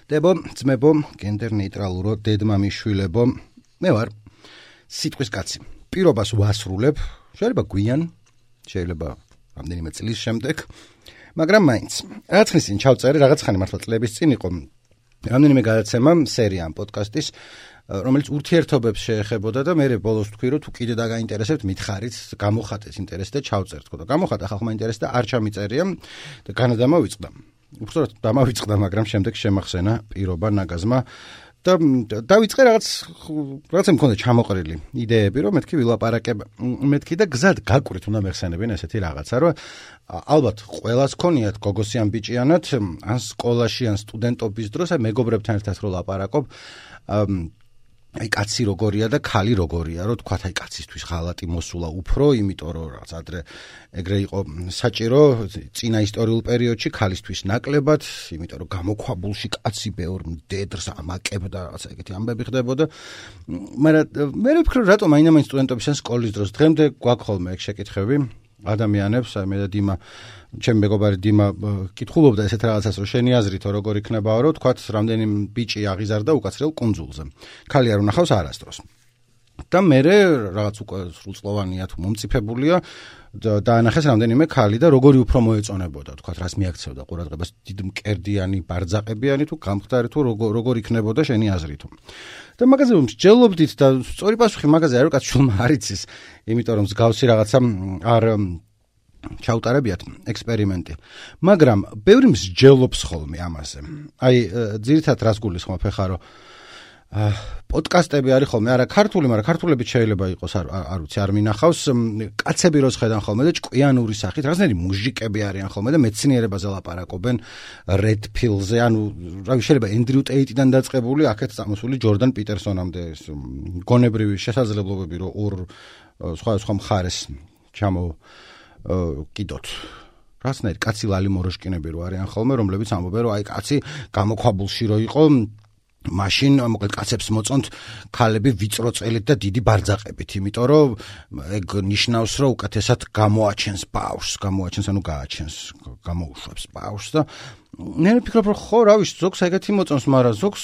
დებო, ძმებო, გენდერ ნეიტრალურო დედმამიშვილებო, მე ვარ სიტყვის კაცი. პირობას ვასრულებ, შეიძლება გვიან, შეიძლება რამდენიმე წლის შემდეგ, მაგრამ მაინც. რაღაც ხნის წინ ჩავწერე, რაღაც ხანი მართლა წლების წინ იყო რამდენიმე გადაცემა სერია ამ პოდკასტის, რომელიც ურთიერთობებს შეეხებოდა და მე ბოლოს თქვი, რომ თუ კიდე დაგაინტერესებთ, მითხარით, გამოხატეთ ინტერესი და ჩავწერთ. და გამოხატა ხალხმა ინტერესი და არ ჩამიწერია და განადამა ვიწყდა. უბრალოდ დამავიწყდა, მაგრამ შემდეგ შემახსენა პირობა ნაგაზმა და დავიწყე რაღაცა მქონდა ჩამოყრილი იდეები, რომ მეთქი ვილაპარაკებ, მეთქი და გზად გაკვირით უნდა მეხსენებინ ესეთი რაღაცა, რომ ალბათ ყველას ქონიათ გოგოსიან ბიჭიანად, ან სკოლაში, ან სტუდენტობის დროს, აი მეგობრებთან ერთად რო ლაპარაკობ, აი კაცი როგორია და ქალი როგორია, რომ თქვა აი კაცისთვის ხალატი მოსულა უფრო, იმიტომ რომ რაღაც ადრე ეგრე იყო საჭირო წინა ისტორიულ პერიოდში ქალისთვის ნაკლებად, იმიტომ რომ გამოქვაბულში კაცი ბევრ მდედრს ამაკებდა, რაღაცა ეგეთი ამბები ხდებოდა. მაგრამ მე ვფიქრობ, რატომ აინამაინც სტუდენტობის ან სკოლის დროს დღემდე გვაქვს ხოლმე ეგ შეკითხები ადამიანებს, აი მე და დიმა, ჩემი მეგობარი დიმა კითხულობდა ესეთ რაღაცას, რომ შენი აზრითო როგორ იქნებაო, რომ თქვათ რამდენი ბიჭი აღიზარდა უკაცრიელ კუნძულზე. ქალი არ უნახავს არასდროს. და მე რაღაც უკვე სრულწლოვანია თუ მომწიფებულია და დაანახეს რამდენიმე ქალი და როგორი უფრო მოეწონებოდა, თქვათ რას მიაქცევდა ყურადღებას, დიდ მკერდიანი, ბარძაყებიანი თუ გამხდარი თუ როგორ იქნებოდა შენი აზრითო. და მაგაზე მსჯელობდით და სწორი პასუხი მაგაზე არ ვიკაც შულმა არ იცის, იმიტომ რომ მსგავსი რაღაცა არ ჩაუტარებიათ ექსპერიმენტი. მაგრამ ბევრი მსჯელობს ხოლმე ამაზე. აი ძირითადად რას გულისხმობ ხა რომ პოდკასტები არის ხოლმე, არა ქართული, მაგრამ ქართულებით შეიძლება იყოს, არ ვიცი, არ მინახავს, კაცები როს ხედან ხოლმე და ჭკვიანური სახით, რაღაცნაირი მუჟიკები არიან ხოლმე და მეცნიერებაზე ლაპარაკობენ, Red Pill-ზე, ანუ რავი, შეიძლება Andrew Tate-დან დაწყებული, აქეთ წამოსული Jordan Peterson-ამდე გონებრივი შესაძლებლობები, რომ ორ სხვა მხარეს ჩამოკიდოთ. რაღაცნაირი კაცი ლალი მოროშკინები რო არიან ხოლმე, რომლებიც ამბობენ, რომ აი კაცი გამოქვაბულში რო იყო, მაშინ მოკლედ კაცებს მოწონთ ქალები ვიწრო წელით და დიდი ბარძაყებით, იმიტომ რომ ეგ ნიშნავს, რომ უკეთესად გამოაჩენს ბავშვს, ანუ გააჩენს, გამოუშვებს ბავშვს და მე ვფიქრობ, რომ ხო, რა ვიცი, ზოგს ეგეთი მოწონს, მაგრამ ზოგს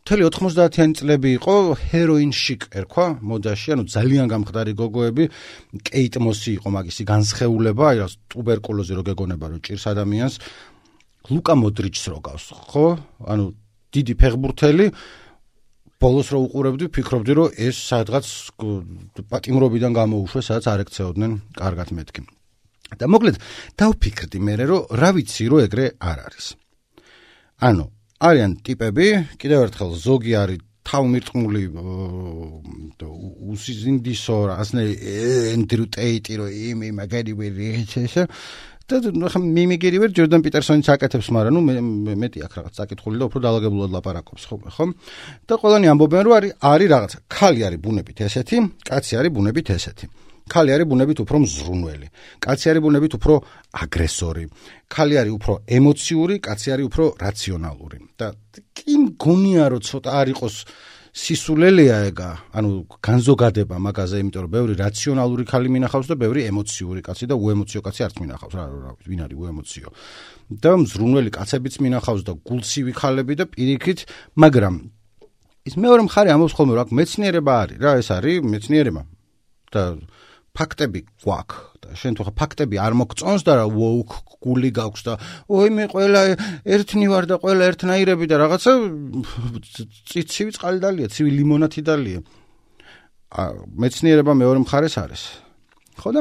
მთელი 90-იანი წლები იყო ჰეროინ შიკ ერქვა მოდაში, ანუ ძალიან გამხდარი გოგოები, კეიტ მოსი იყო მაგისი განსხეულება, აი რა ტუბერკულოზი რო გეგონება, რომ ჭირს ადამიანს, ლუკა მოდრიჩს რო გავს, ხო? ანუ დიდი ფეხბურთელი, ბოლოს რო უყურებდი, ფიქრობდი, რომ ეს სადღაც პატიმრობიდან გამოუშვეს, სადაც არ ექცეოდნენ კარგად მეთქი. და მოკლედ დავფიქრდი მე, რომ რა ვიცი, რომ ეგრე არ არის. ანუ არიან ტიპები, კიდევ ერთხელ ზოგი არის თავმირტყმული უსიზინდისო, ასნაირი Andrew Tate, რომ იმი მაგარი ვერიეჩეშა და ხა მიმიგერი ვერ ჯორდან პიტერსონიც აკეთებს, მაგრამ ნუ მეტი აქ რაღაც საკითხული და უფრო დაალაგებულად ლაპარაკობს ხო? და ყველანი ამბობენ, რომ არის რაღაცა, ქალი არის ბუნებით ესეთი, კაცი არის ბუნებით ესეთი. ქალი არის ბუნებით უფრო მზრუნველი, კაცი არის ბუნებით უფრო აგრესორი, ქალი არის უფრო ემოციური, კაცი არის უფრო რაციონალური. და კი მგონია, რომ ცოტა არ იყოს სისულელეა ეგა, ანუ განზოგადება მაგაზე, იმიტომ რომ ბევრი რაციონალური ქალი მინახავს და ბევრი ემოციური კაცი და უემოციო კაცი არც მინახავს, რა ვინ არის უემოციო. და მზრუნველი კაცებიც მინახავს და გულცივი ქალები და პირიქით, მაგრამ ის მეორე მხარე ამბობს ხოლმე, რომ მეცნიერება არის, რა ეს არის მეცნიერება და ფაქტები გვაქვს და შენ თუ ხა ფაქტები არ მოგწონს და რა ვოუკ გული გაქვს და მე ყველა ერთნი ვარ და ყველა ერთნაირები და რაღაცა ცივი წყალი დალია, ცივი ლიმონათი დალია. მეცნიერება მეორე მხარეს არის. ხო და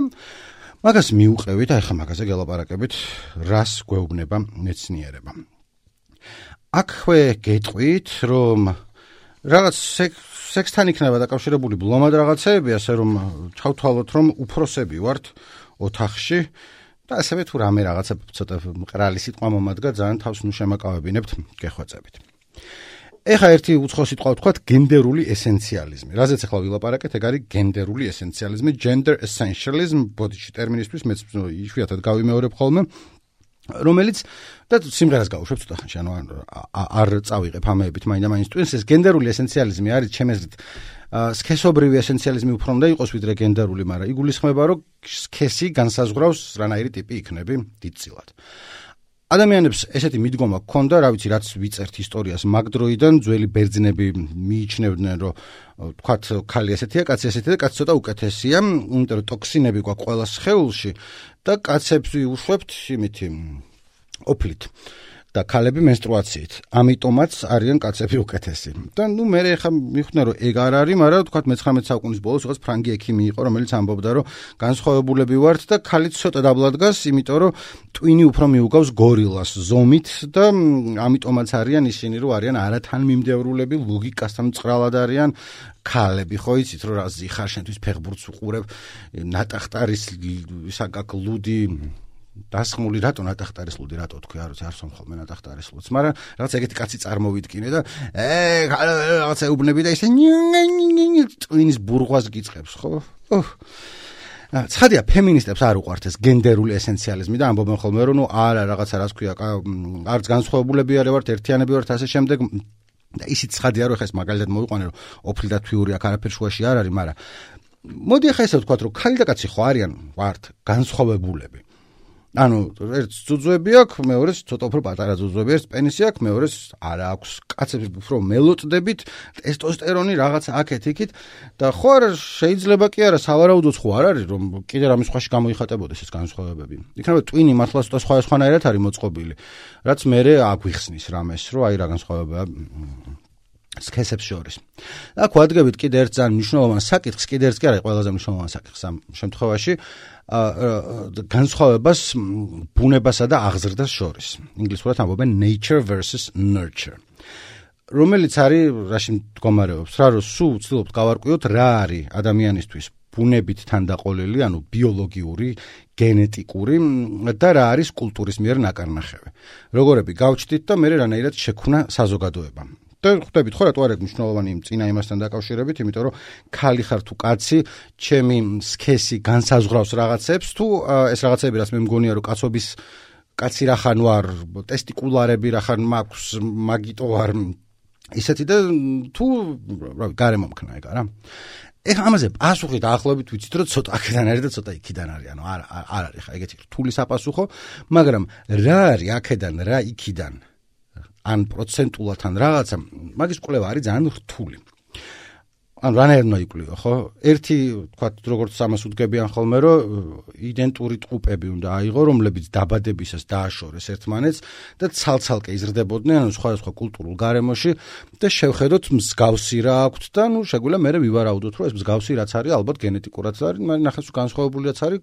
მაგას მიუყევით, აი ხა მაგაზე გელაპარაკებით, რას გვეუბნება მეცნიერება. აქვე გეტყვით, რომ რაღაც სექსთან იქნება დაკავშირებული ბლომად რაღაცეები, ასე რომ ჩავთვალოთ, რომ უფროსები ვართ ოთახში და ასევე თუ რამე რაღაცა ცოტა მყრალი სიტყვა მომადგა, ძალიან თავს შემაკავებინებთ, გეხვეწებით. ეხა ერთი უცხო სიტყვა ვთქვათ, გენდერული ესენციალიზმი. რაზეც ახლა ვილაპარაკეთ, ეგ არის გენდერული ესენციალიზმი, gender essentialism, ბოდიში ტერმინისთვის მეც იშვიათად გავიმეორებ ხოლმე, რომელიც და სიმღერას გავუშვებ ცოტა ხანში, ანუ არ წავიღებ ამეებით მაინდა-მაინც ტვინს, ეს გენდერული ესენციალიზმი არის ჩემი აზრით სქესობრივი ესენციალიზმი უფრო უნდა იყოს ვიდრე გენდერული, მაგრამ იგულისხმება, რომ სქესი განსაზღვრავს რანაირი ტიპი იქნები დიდწილად. ადამიანებს ესეთი მიდგომა ჰქონდა, რა ვიცი, რაც ვიწერთ ისტორიას მაგ დროიდან, ძველი ბერძნები მიიჩნევდნენ, რომ თქვათ ქალი ესეთია, კაცი ესეთია და კაცი ცოტა უკეთესია, იმიტომ რომ ტოქსინები გვაქვს ყველა სხეულში და კაცებს ვიუშვებთ იმითი ოფლით და ქალები მენსტრუაციით. ამიტომაც არიან კაცები უკეთესი. და მე ხა მიხვნე რომ ეგ არ არის, მაგრამ თქვათ მე-19 საუკუნის ბოლოს რაღაც ფრანგი ექიმი იყო, რომელიც ამბობდა, რომ განსხვავებულები ვართ და ქალიც ცოტა დაბლა დგას, იმიტომ რომ ტვინი უფრო მიუგავს გორილას ზომით და ამიტომაც არიან ისინი, რომ არიან არათანმიმდევრულები, ლოგიკასთან მწყრალად არიან ქალები, ხო იცით, რომ რა ზიხარ შენთვის ფეხბურთს უყურებ, ნატახტარის ისაკაკ ლუდი დასხმული რატო ნატახტარის ლუდი რატო თქვი არ სვამ ხოლმე ნატახტარის ლუდს, მაგრამ რაღაც ეგეთი კაცი წარმოვიდგინე და რაღაცა უბნები და ისე ტვინის ბურღვას გიწყებს, ხო? ცხადია, ფემინისტებს არ უყვართ ეს გენდერული ესენციალიზმი და ამბობენ ხოლმე რომ არა რაღაცა რას ქვია, არც განსხვავებულები არ ვართ, ერთიანები ვართ ასე შემდეგ და ისიც ცხადია რომ ხეს მაგალითად მოვიყვანე რომ ოფლი და თვიური აქ არაფერ შუაში არ არის, მაგრამ მოდი ახლა ესე ვთქვათ რომ ქალი და კაცი ხო არიან ვართ განსხვავებულები. ანუ ერთს ძუძუები აქვს, მეორეს ცოტა უფრო პატარა ძუძუები, ერთს პენისი აქვს, მეორეს არ აქვს. კაცები უფრო მელოწდებით, ტესტოსტერონი რაღაცა აქეთ-იქით და ხო არა შეიძლება კი არა სავარაუდოც ხო არ არის რომ კიდე რამის სხვაში გამოიხატებოდეს ეს განსხვავებები. იქნება ტვინი მართლა ცოტა სხვადასხვანაირად არის მოწყობილი, რაც მე აგვიხსნის რამეს, რომ აი რა განსხვავებაა სქესებს შორის. აქ ვადგებით კიდე ერთ ძალიან მნიშვნელოვან საკითხს, კიდე ერთ კი არა ყველაზე მნიშვნელოვან საკითხს ამ შემთხვევაში. განსხვავებას ბუნებასა და აღზრდას შორის. ინგლისურად ამბობენ nature versus nurture. რომელიც არის რაში მდგომარეობს, რა რომ სულ ვცდილობთ გავარკვიოთ რა არის ადამიანისთვის ბუნებით თანდაყოლილი, ანუ ბიოლოგიური, გენეტიკური და რა არის კულტურის მიერ ნაკარნახევი. როგორები გავჩდით და მე რანაირად შექმნა საზოგადოება. და ხვდებით ხო რატო არ აქვს მნიშვნელოვანი წინა იმასთან დაკავშირებით, იმიტომ რომ ქალი ხარ თუ კაცი, ჩემი სქესი განსაზღვრავს რაღაცებს, თუ ეს რაღაცები რაც მე მგონია რომ კაცობის კაცი რახან ვარ, ტესტიკულარები რახან მაქვს, მაგიტო ვარ ისეთი და თუ გარემომქნა ეგ არა. ეხლა ამაზე პასუხი დაახლოებით ვიცით რომ ცოტა აქედან არის და ცოტა იქიდან არის, ანუ არ არის ხა ეგეთი რთული საპასუხო, მაგრამ რა არის აქედან, რა იქიდან ან პროცენტულად ან რაღაცა, მაგის კვლევა არის ძალიან რთული. ან რანაირად უნდა იკვლიო, ხო? ერთი, თქვათ, როგორც ამას უდგებიან ხოლმე, რომ იდენტური ტყუპები უნდა აიღო, რომლებიც დაბადებისას დააშორეს ერთმანეთს და ცალ-ცალკე იზრდებოდნენ, ანუ სხვადასხვა კულტურულ გარემოში და შევხედოთ მსგავსი რა აქვთ და ნუ შეგვიძლია მე ვივარაუდოთ, რომ ეს მსგავსი რაც არის, ალბათ გენეტიკურად არის, მაგრამ ნახეს განსხვავებული რაც არის,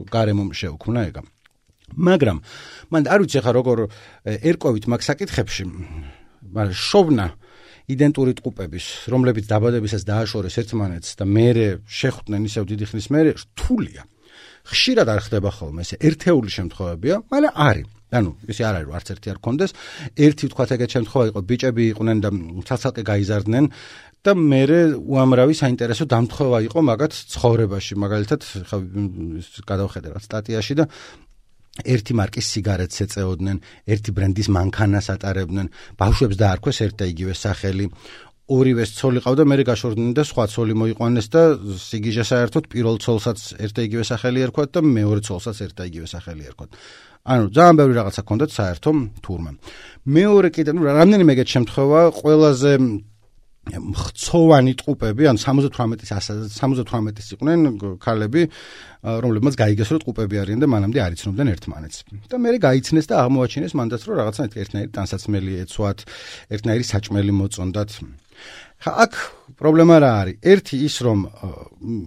გარემომ შეუქმნა ეგა. მაგრამ მან არ ვიცი ხა როგორ ერკვევით მაგ საკითხებში, მაგრამ შოვნა იდენტური ტყუპების, რომლებიც დაბადებისას დააშორეს ერთმანეთს და მერე შეხვდნენ ისევ დიდი ხნის მერე, რთულია. ხშირად არ ხდება ხოლმე ეს ერთეული შემთხვევებია, მაგრამ არის. ანუ ისე არ არის რომ არც ერთი არ გქონდეს, ერთი ვთქვათ ეგეთ შემთხვევა იყო, ბიჭები იყვნენ და ცალ-ცალკე გაიზარდნენ და მერე უამრავი საინტერესო დამთხოვა იყო მაგათ ცხოვრებაში, მაგალითად ხა გადავხედე რა სტატიაში და ერთი მარკის სიგარეტს ეწეოდნენ, ერთი ბრენდის მანქანას ატარებდნენ, ბავშვებს დაარქვეს ერთ და იგივე სახელი, ორივეს ცოლი ყავდა, მერე გაშორდნენ და სხვა ცოლი მოიყვანეს და სიგიჟე საერთოდ პირველ ცოლსაც ერთ და იგივე სახელი ერქვათ და მეორე ცოლსაც ერთ და იგივე სახელი ერქვათ. ანუ ძალიან ბევრი რაღაცა ჰქონდათ საერთო თურმე. მეორე კიდე, რამდენიმე ეგეთ შემთხვევა, ყველაზე მხცოვანი ტყუპები, ან 78-ის იყვნენ ქალები, რომლებმაც გაიგეს რომ ტყუპები არიან და მანამდე არ იცნობდნენ ერთმანეთს. და მერე გაიცნეს და აღმოაჩინეს მანდაც რომ რაღაცა ერთნაირი ტანსაცმელი ეცვათ, ერთნაირი საჭმელი მოწონდათ. ხა აქ პრობლემა რა არის? ერთი ის რომ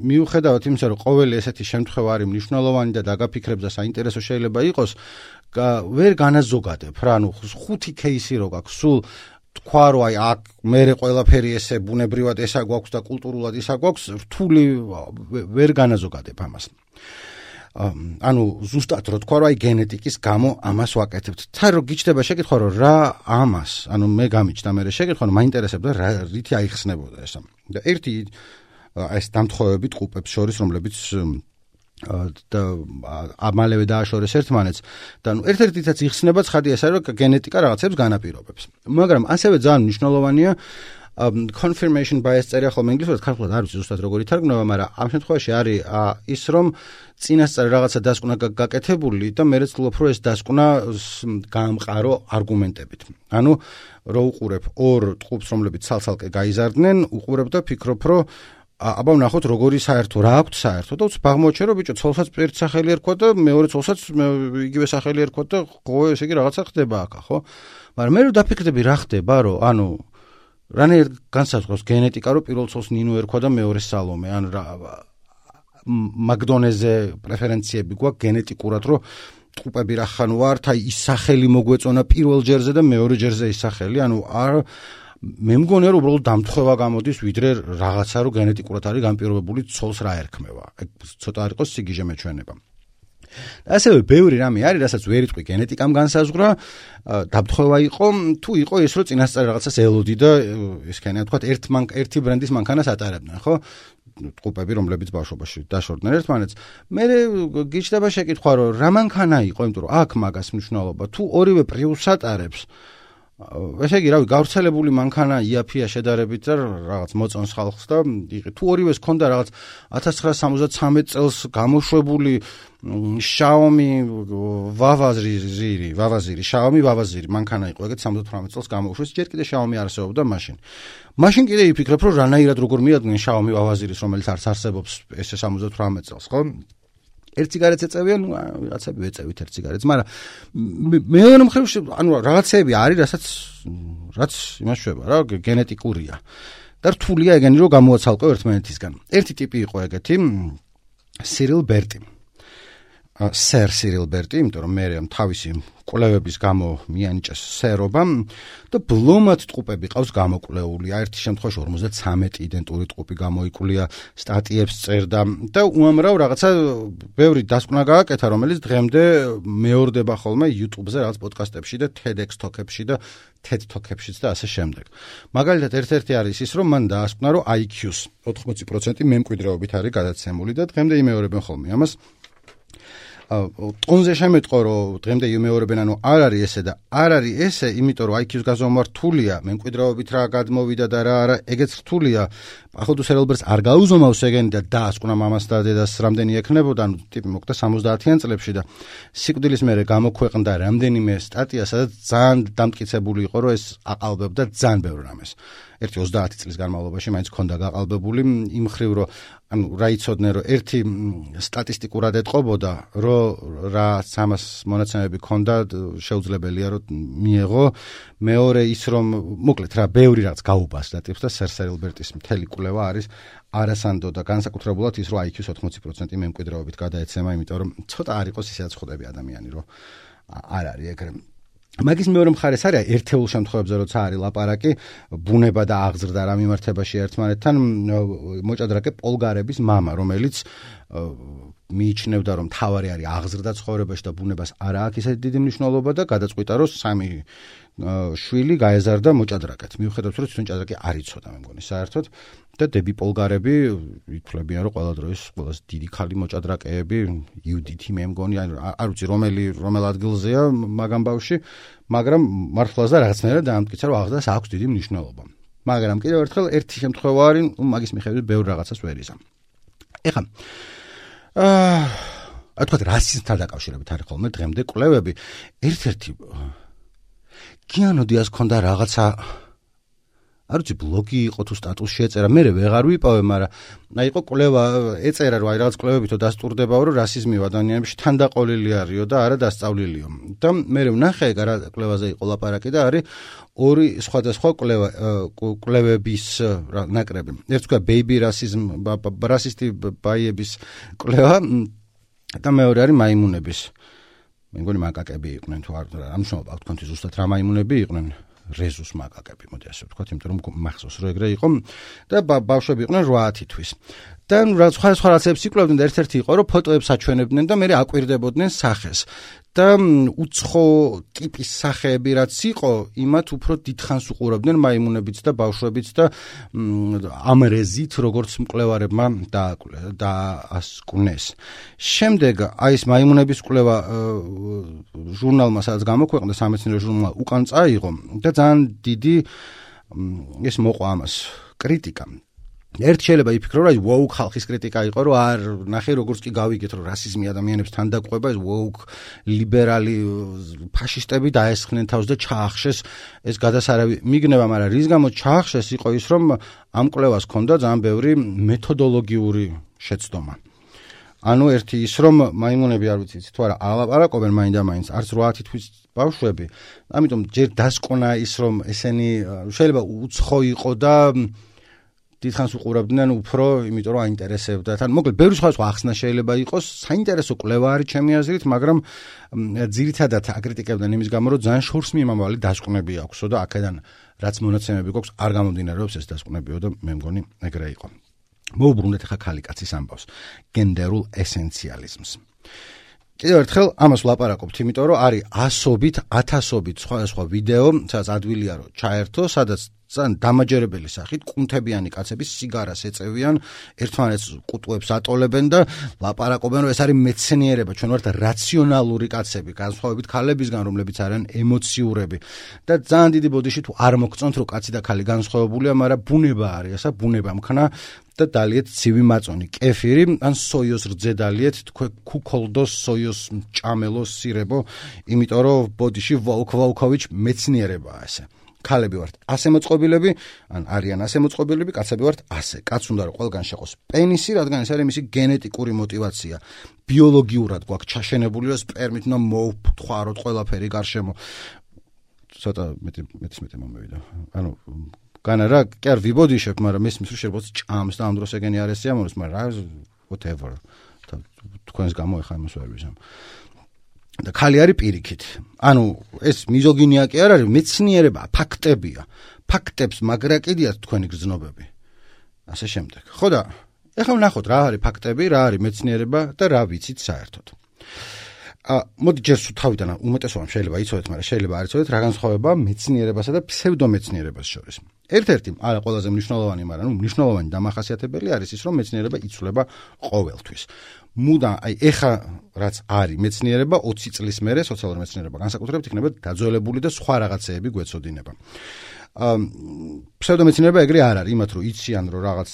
მიუხედავად იმისა რომ ყოველი ესეთი შემთხვევა არის მნიშვნელოვანი და დაგაფიქრებს და საინტერესო შეიძლება იყოს, ვერ განაზოგადებ რა, ანუ 5 кейსი რო გაქვს, სულ თქვა რომ აი აქ მერე ყველაფერი ესე ბუნებრივად ესა გვაქვს და კულტურულად ისა გვაქვს, რთული ვერ განაზოგადებ ამას. ანუ ზუსტად რო თქვა რომ აი გენეტიკის გამო ამას ვაკეთებთ. თან რო გიჩნდება შეკითხვა რომ რა ამას, ანუ მე გამიჩნდა მერე შეკითხვა რომ მაინტერესებდა რა რითი აიხსნებოდა ესა. და ერთი ეს დამთხოვები ტყუპებს შორის, რომლებიც და ამალევე დააშორეს ერთმანეთს და ნუ ერთ-ერთითაც იხსნება ცხადია ეს არის რომ გენეტიკა რაღაცებს განაპირობებს. მაგრამ ასევე ძალიან მნიშვნელოვანია confirmation bias წერია ხოლმე ინგლისურად, ქართულად არ ვიცი ზუსტად როგორ ითარგმნება, მაგრამ ამ შემთხვევაში არის ის, რომ წინასწარ რაღაცა დასკვნა გაკეთებული და მე ვცდილობ, რომ ეს დასკვნა გაამყარო არგუმენტებით. ანუ რო უყურებ ორ ტყუპს, რომლებიც ცალ-ცალკე გაიზარდნენ, უყურებ და ფიქრობ, რომ აბა ვნახოთ როგორი საერთო რა აქვს საერთო და უცბ აღმოჩნდა რომ ბიჭო ცოლსაც ერთ სახელი ერქვა და მეორე ცოლსაც იგივე სახელი ერქვა და ხო ესე იგი რაღაცა ხდება აქ ხო მაგრამ მე რო დაფიქრდები რა ხდება რომ ანუ რანაირ განსაზღვრავს გენეტიკა რომ პირველ ცოლს ნინო ერქვა და მეორე სალომე ან რა მაგდონეზე პრეფერენციები გვაქვს გენეტიკურად რომ ტყუპები რა ხან ვართ აი ის სახელი მოგვეწონა პირველ ჯერზე და მეორე ჯერზე ის სახელი ანუ არ მე მგონია რომ უბრალოდ დამთხევა გამოდის ვიდრე რაღაცა რომ გენეტიკურად არის განპირობებული ცოლს რა ერქმევა. ეგ ცოტა არ იყოს სიგიჟე მეჩვენება. ასევე ბევრი რამე არის, რასაც ვერ იტყვი გენეტიკამ განსაზღვრა, დამთხევა იყო, თუ იყო ის რომ წინასწარ რაღაცას ელოდი და ისქენია თქვა ერთი ბრენდის მანქანას ატარებდნენ, ხო? ტყუპები რომლებიც ბავშვობაში დაშორდნენ ერთმანეთს. მე გიჩნდება შეკითხვა რომ რა მანქანა იყო, იმიტომ რომ აქ მაგას მნიშვნელობა, თუ ორივე პრიუსს ატარებს ესე იგი, რავი, გავრცელებული მანქანა იაფია შედარებით და რაღაც მოწონს ხალხს და თუ ორივეს ქონდა რაღაც 1973 წელს გამოშვებული Xiaomi Vavaziri მანქანა იყო, ეგეთ 78 წელს გამოუშვეს, ჯერ კიდე Xiaomi არასებობდა მაშინ. მაშინ კიდე იფიქრებ, რომ რანაირად როგორ მიადგნენ Xiaomi Vavaziris, რომელიც არც არსებობს ესე 78 წელს, ხო? ერთ ციგარეტს ეწევიან, რაღაცები ვეწევით ერთ ციგარეტს, მაგრამ მეორე მხრივ ანუ რაღაცები არის, რაც იმას შვება რა, გენეტიკურია. და რთულია ეგენი რომ გამოაცალკო ერთმანეთისგან. ერთი ტიპი იყო ეგეთი, Cyril Berti. Sir Cyril Berti, იმიტომ რომ მე თავისი კვლევების გამო მიანიჭეს სერობა და ბლომად ტყუპები ყავს გამოკვლეული. ერთი შემთხვევაში 53 იდენტური ტყუპი გამოიკვლია, სტატიებს წერდა და უამრავ რაღაცა ბევრი დასკვნა გააკეთა, რომელიც დღემდე მეორდება ხოლმე YouTube-ზე, რაღაც პოდკასტებში და TEDx Talk-ებში და TED Talk-ებშიც და ასე შემდეგ. მაგალითად, ერთ-ერთი არის ის, რომ მან დაასკვნა, რომ IQ-ს 80% მემკვიდრეობით არის გადაცემული და დღემდე იმეორებენ ხოლმე ამას. ტონზე შემეტყო რომ დღემდე იმეორებენ ანუ არ არის ესე და არ არის ესე იმიტომ რომ IQ-ს გაზომვა რთულია მემკვიდრეობით რა გადმოვიდა და რა არა ეგეც რთულია ახალ სერელბერს არ გაუზომავს ეგენი და დაასკვნა მამას და დედას რამდენი ექნებოდა ანუ ტიპი მოკვდა 70-იან წლებში და სიკვდილის მერე გამოქვეყნდა რამდენიმე სტატია სადაც ძალიან დამტკიცებული იყო რომ ეს აყალბებდა ძალიან ბევრ რამეს ერთი 30 წლის განმავლობაში მაინც ქონდა გაყალბებული იმ ხრივ რომ ანუ რა იცოდნენ რომ ერთი სტატისტიკურად ეტყობოდა რომ რა სამას მონაცემები ქონდა შეუძლებელია რომ მიეღო მეორე ის რომ მოკლედ რა ბევრი რაც გაუბასდა ტიპს და სერსერილბერტის მთელი კვლევა არის არასანდო და განსაკუთრებულად ის რომ IQ-ს 80% მემკვიდრეობით გადაეცემა იმიტომ რომ ცოტა არ იყოს ისედაც ხვდები ადამიანი რომ არ არის ეგრე მაგის მეორე მხარეს არის ერთეულ შემთხვევებზე როცა არის ლაპარაკი ბუნება და აღზრდა რა მიმართებაში ერთმანეთთან მოჭადრაკე პოლგარების მამა რომელიც მიიჩნევდა რომ თავარი არის აღზრდა ცხოვრებაში და ბუნებას არ აქვს ისეთი დიდი მნიშვნელობა და გადაწყვიტა რომ სამი შვილი გაეზარდა მოჭადრაკეთ მიუხედავად რომ თვითონ ჭადრაკი არ იცოდა მე მგონი საერთოდ და დები პოლგარები ითვლებიან რომ ყველა დროის ყველაზე დიდი ქალი მოჭადრაკეები იუდითი მე მგონი არ ვიცი რომელ ადგილზეა მაგამ ბავში მაგრამ მართლაც და რაღაცნაირად დაამტკიცა რომ აღზრდას აქვს დიდი მნიშვნელობა მაგრამ კიდევ ერთხელ ერთი შემთხვევა არის მაგის მიხედვით ბევრ რაღაცას ვერ იზამ ეხლა თქვათ რასიზმთან დაკავშირებით არის ხოლმე დღემდე კვლევები ერთ-ერთი კიანოდიას ქონდა რაღაცა არ ვიცი ბლოგი იყო თუ სტატუსი ეწერა მე ვეღარ ვიპოვე მაგრამ აი იყო კვლევა ეწერა რომ აი რაღაც კვლევებითო დასტურდებაო რომ რასიზმი ადამიანებში თანდაყოლილი არისო და არა დასწავლილიო და მე ვნახე რა კვლევაზე იყო ლაპარაკი და არის ორი სხვადასხვა კვლევების ნაკრები ერთ თქვა ბეიბი რასიზმ რასისტი ბაიების კვლევა და მეორე არის მაიმუნების მე მგონი მაკაკები იყვნენ თუ არ ამშობა თქვენთვის ზუსტად რა მაიმუნები იყვნენ რეზუს მაკაკები მოდი ასე ვთქვათ იმიტომ რომ მახსოვს რომ ეგრე იყო და ბავშვები იყვნენ 8 თვის და სხვა რაღაცებს იკვლევდნენ და ერთ-ერთი იყო რომ ფოტოებს აჩვენებდნენ და მე აკვირდებოდნენ სახეს და უცხო ტიპის სახეები რაც იყო იმათ უფრო დიდხანს უყურებდნენ მაიმუნებიც და ბავშვებიც და ამ რეზით როგორც მკვლევარებმა დაასკვნეს შემდეგ აი ეს მაიმუნების კვლევა ჟურნალმა სადაც გამოქვეყნდა სამეცნიერო ჟურნალმა უკან წაიღო და ძალიან დიდი ეს მოყვა ამას კრიტიკა. ერთ შეიძლება იფიქრო, რომ woke ხალხის კრიტიკა იყო, რომ არ ნახე როგორც კი გავიგეთ, რომ რასიზმი ადამიანებს თან დაყვება, ეს woke ლიბერალი ფაშისტები დაესხნენ თავს და ჩაახშეს ეს გადასარავი მიგნება, მაგრამ რის გამო ჩაახშეს იყო ის, რომ ამ კვლევას ჰქონდა ძალიან ბევრი მეთოდოლოგიური შეცდომა. ანუ ერთი ის, რომ მაიმუნები არ ვიცით თუ არა ალაპარაკობენ მაინდა-მაინც არც 8 თვის ბავშვები, ამიტომ ჯერ დასკვნა ის, რომ ესენი შეიძლება უცხო იყო და დიდხანს უყურებდნენ უფრო, იმიტომ რომ აინტერესებდათ. ან მოკლედ ბევრი სხვა ახსნა შეიძლება იყოს, საინტერესო კვლევა არის ჩემი აზრით, მაგრამ ძირითადად აკრიტიკებდნენ იმის გამო, რომ ძალიან შორს მიმამავალი დასკვნები აქვსო და აქედან რაც მონაცემები გვაქვს, არ გამომდინარეობს ეს დასკვნებიო და მე მგონი ეგრე იყო. მოვუბრუნდეთ ახლა ქალი კაცის ამბავს, გენდერულ ესენციალიზმს. კიდევ ერთხელ ამას ვლაპარაკობთ, იმიტომ რომ არის ასობით, ათასობით სხვადასხვა ვიდეო, სადაც ადვილია რომ ჩაერთო, სადაც ძალიან დამაჯერებელი სახით კუნთებიანი კაცები სიგარას ეწევიან, ერთმანეთს ყუტუებს ატოლებენ და ლაპარაკობენ, რომ ეს არის მეცნიერება, ჩვენ ვართ რაციონალური კაცები, განსხვავებით ქალებისგან, რომლებიც არიან ემოციურები. და ძალიან დიდი ბოდიში თუ არ მოგწონთ, რომ კაცი და ქალი განსხვავებულია, მაგრამ ბუნება არის, ესა ბუნება მქნა და დალიეთ ცივი მაწონი, კეფირი, ან სოიოს რძე დალიეთ, თქვენ ქუქოლდოს, სოიოს ჭამელოს სირებო, იმიტომ რომ ბოდიში ვოლკოვიჩ მეცნიერებაა ესე. ქალები ვართ ასე მოწყობილები, ან არიან ასე მოწყობილები, კაცები ვართ ასე. კაც უნდა რომ ყველგან შეყოს პენისი, რადგან ეს არის მისი გენეტიკური мотиваცია. ბიოლოგიურად გვაქვს ჩაშენებული, რომ სპერმით უნდა მოვფხვაროთ ყველაფერი გარშემო. ცოტა მეტი მომევიდა. ანუ განა რა, კი არ ვიბოდიშებ, მაგრამ მესმის რომ შეიძლება ჭამს და ამ დროს ეგენი არ ესიამოვნოს, მაგრამ whatever. თქვენს გამო ეხა იმას ვერ ვიზამ. და ქალი არის პირიქით. ანუ ეს მიზოგინია კი არ არის, მეცნიერება, ფაქტებია. ფაქტებს მაგრაკიდიათ თქვენი გრძნობები. ასე შემდეგ. ხო და ეხლა ვნახოთ რა არის ფაქტები, რა არის მეცნიერება და რა ვიცით საერთოდ. მოდი ჯერ თავიდან უმეტესობამ შეიძლება იცოდეთ, მაგრამ შეიძლება არ იცოდეთ რა განსხვავებაა მეცნიერებასა და ფსევდომეცნიერებას შორის. ერთ-ერთი არა ყველაზე მნიშვნელოვანი, მაგრამ მნიშვნელოვანი დამახასიათებელი არის ის, რომ მეცნიერება იცვლება ყოველთვის. მუდამ აი ეხა რაც არის მეცნიერება 20 წლის მერე სოციალური მეცნიერება განსაკუთრებით იქნება დაძველებული და სხვა რაღაცეები გვეცოდინება. ფსევდომეცნიერება ეგრე არ არის, იმათ რომ იციან რომ რაღაც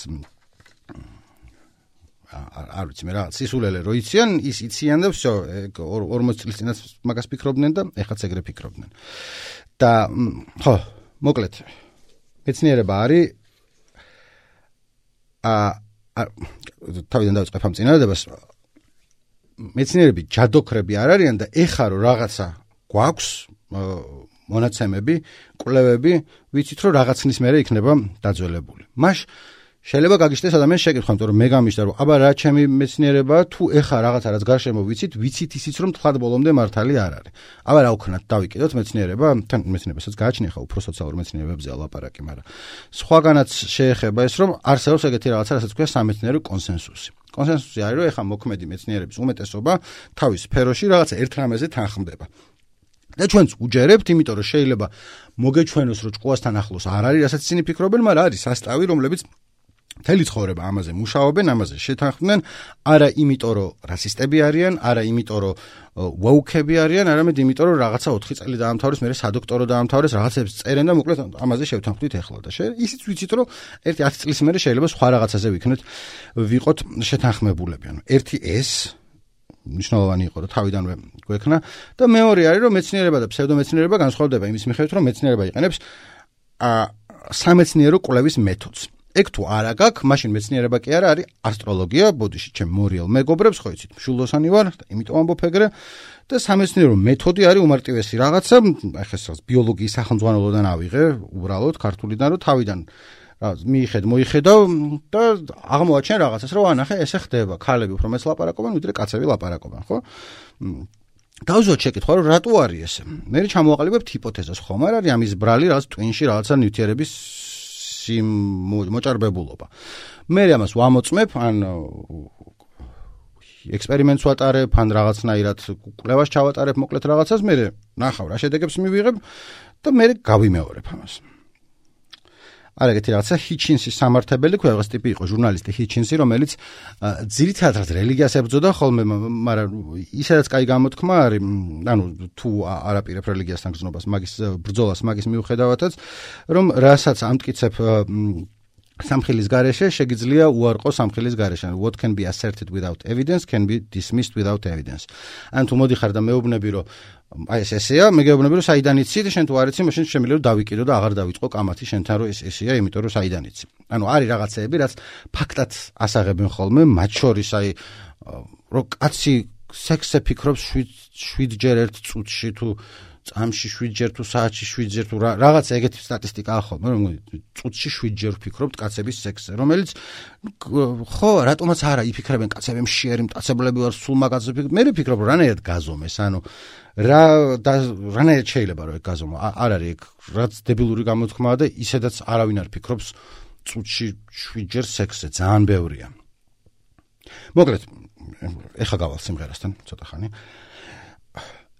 არ ვიცი მე რაღაც სისულელე რო იციან, ის იციან და всё 40 წლის წინაც მაგას ფიქრობდნენ და ეხაც ეგრე ფიქრობდნენ. და ხო, მოკლედ მეცნიერება არის თავიდან დავიწყებ ამ წინადადებას. მეცნიერები ჯადოქრები არ არიან და ეხა რომ რაღაცა გვაქვს მონაცემები, კვლევები, ვიცით რომ რაღაცნის მერე იქნება დაძველებული. მაშ შეიძლება გაგიშდეს ადამიანს შეკითხვა, იმიტომ რომ მე გამიშდა რომ აბა რა ჩემი მეცნიერება თუ ეხა რაღაცა რაც გარშემო ვიცით ისიც რომ თლად ბოლომდე მართალი არ არის. აბა რა ვქნათ, დავიკიდოთ მეცნიერება, თან მეცნიერებასაც გააჩნია ხა უფრო სოციალურ მეცნიერებებზე ლაპარაკი, მაგრამ სხვაგანაც შეეხება ეს რომ არსებობს ეგეთი რაღაცა, რასაც ქვია სამეცნიერო კონსენსუსი. კონსენსუსი არის რომ ეხა მოქმედი მეცნიერების უმეტესობა თავის სფეროში რაღაცა ერთ რამეზე თანხმდება. და ჩვენც უჯერებთ, იმიტომ რომ შეიძლება მოგეჩვენოს რომ ჭკუასთან ახლოს არ არის, რასაც ისინი ფიქრობენ, მაგრამ არის სასტავი, რომლებიც მთელი ცხოვრება ამაზე მუშაობენ, ამაზე შეთანხმდნენ, არა იმიტომ რომ რასისტები არიან, არა იმიტომ რომ ვოუკები არიან, არამედ იმიტომ რომ რაღაცა 4 წელი დაამთავრეს, მერე სადოქტორო დაამთავრეს, რაღაცებს წერენ და მოკლედ ამაზე შევთანხმდით ეხლა და ისიც ვიცით რომ ერთი 10 წლის მერე შეიძლება სხვა რაღაცაზე ვიყოთ შეთანხმებულები. ანუ ერთი ეს მნიშვნელოვანი იყო რომ თავიდანვე გვექნა და მეორე არის რომ მეცნიერება და ფსევდომეცნიერება განსხვავდება იმის მიხედვით რომ მეცნიერება იყენებს სამეცნიერო კვლევის მეთოდს. ეგ თუ არა გაქვს, მაშინ მეცნიერება კი არა არის ასტროლოგია, ბოდიში ჩემ მორიელ მეგობრებს, ხო იცით, მშულდოსანი ვარ, იმიტომ ამბობ ეგრე და სამეცნიერო მეთოდი არის უმარტივესი რაღაცა, ახლა ეს ბიოლოგიის სახელმძღვანელოდან ავიღე, უბრალოდ ქართულიდან რომ თავიდან მოიხედავ და აღმოაჩენ რაღაცას, რომ ანახე ესე ხდება, ქალები უფრო მეც ლაპარაკობენ, ვიდრე კაცები ლაპარაკობენ, ხო? დავუზოთ შეკითხვა, რომ რატო არის ესე? მე ჩამოვაყალიბებთ ჰიპოთეზას, ხომ არ არის ამის ბრალი რაღაც ტვინში რაღაცა ნივთიერების მოჭარბებულობა. მე ამას ვამოწმებ, ან ექსპერიმენტს ვატარებ, ან რაღაცნაირად კვლევას ჩავატარებ, მოკლედ რაღაცას, მე ნახავ რა შედეგებს მივიღებ და მე გავიმეორებ ამას. არა ეგეთი რაღაცა ჰიჩინსის სამართებელი ქვია რაღაც ტიპი იყო ჟურნალისტი ჰიჩინსი რომელიც ძირითადად რელიგიას ებრძოდა ხოლმე მაგრამ ისედაც კაი გამოთქმა არის ანუ თუ არაპირებ რელიგიასთან გზნობას მაგის ბრძოლას მაგის მიუხედავადაც რომ რასაც ამტკიცებ სამხილის გარეშე შეგიძლია უარყო სამხილის გარეშე. What can be asserted without evidence can be dismissed without evidence. ან თუ მოდიხარ და მეუბნები რომ აი ესეა, მე გეუბნები რომ საიდან იცი და შენ თუ არ იცი, მაშინ შემიძლია რომ დავიკიდო და აღარ დავიწყო კამათი შენთან რომ ესეა, იმიტომ რომ საიდან იცი. ანუ არის რაღაცეები, რაც ფაქტად ასაღებენ ხოლმე, მათ შორის აი რომ კაცი სექსზე ფიქრობს 7-ჯერ ერთ წუთში თუ წამში 7-ჯერ თუ საათში 7-ჯერ თუ რაღაც ეგეთი სტატისტიკაა ხოლმე რომ წუთში 7-ჯერ ვფიქრობთ კაცების სექსზე რომელიც ხო რატომაც არა იფიქრებენ კაცები მშიერი მტაცებლები ვარ სულ მაგაზე მე ვფიქრობ რომ რანაირად გაზომეს ანუ რანაირად შეიძლება რომ ეგ გაზომო არ არის ეგ რაც დებილური გამოთქმაა და ისედაც არავინ არ ფიქრობს წუთში 7-ჯერ სექსზე ძალიან ბევრია მოკლედ ეხა გავალ სიმღერასთან ცოტა ხანი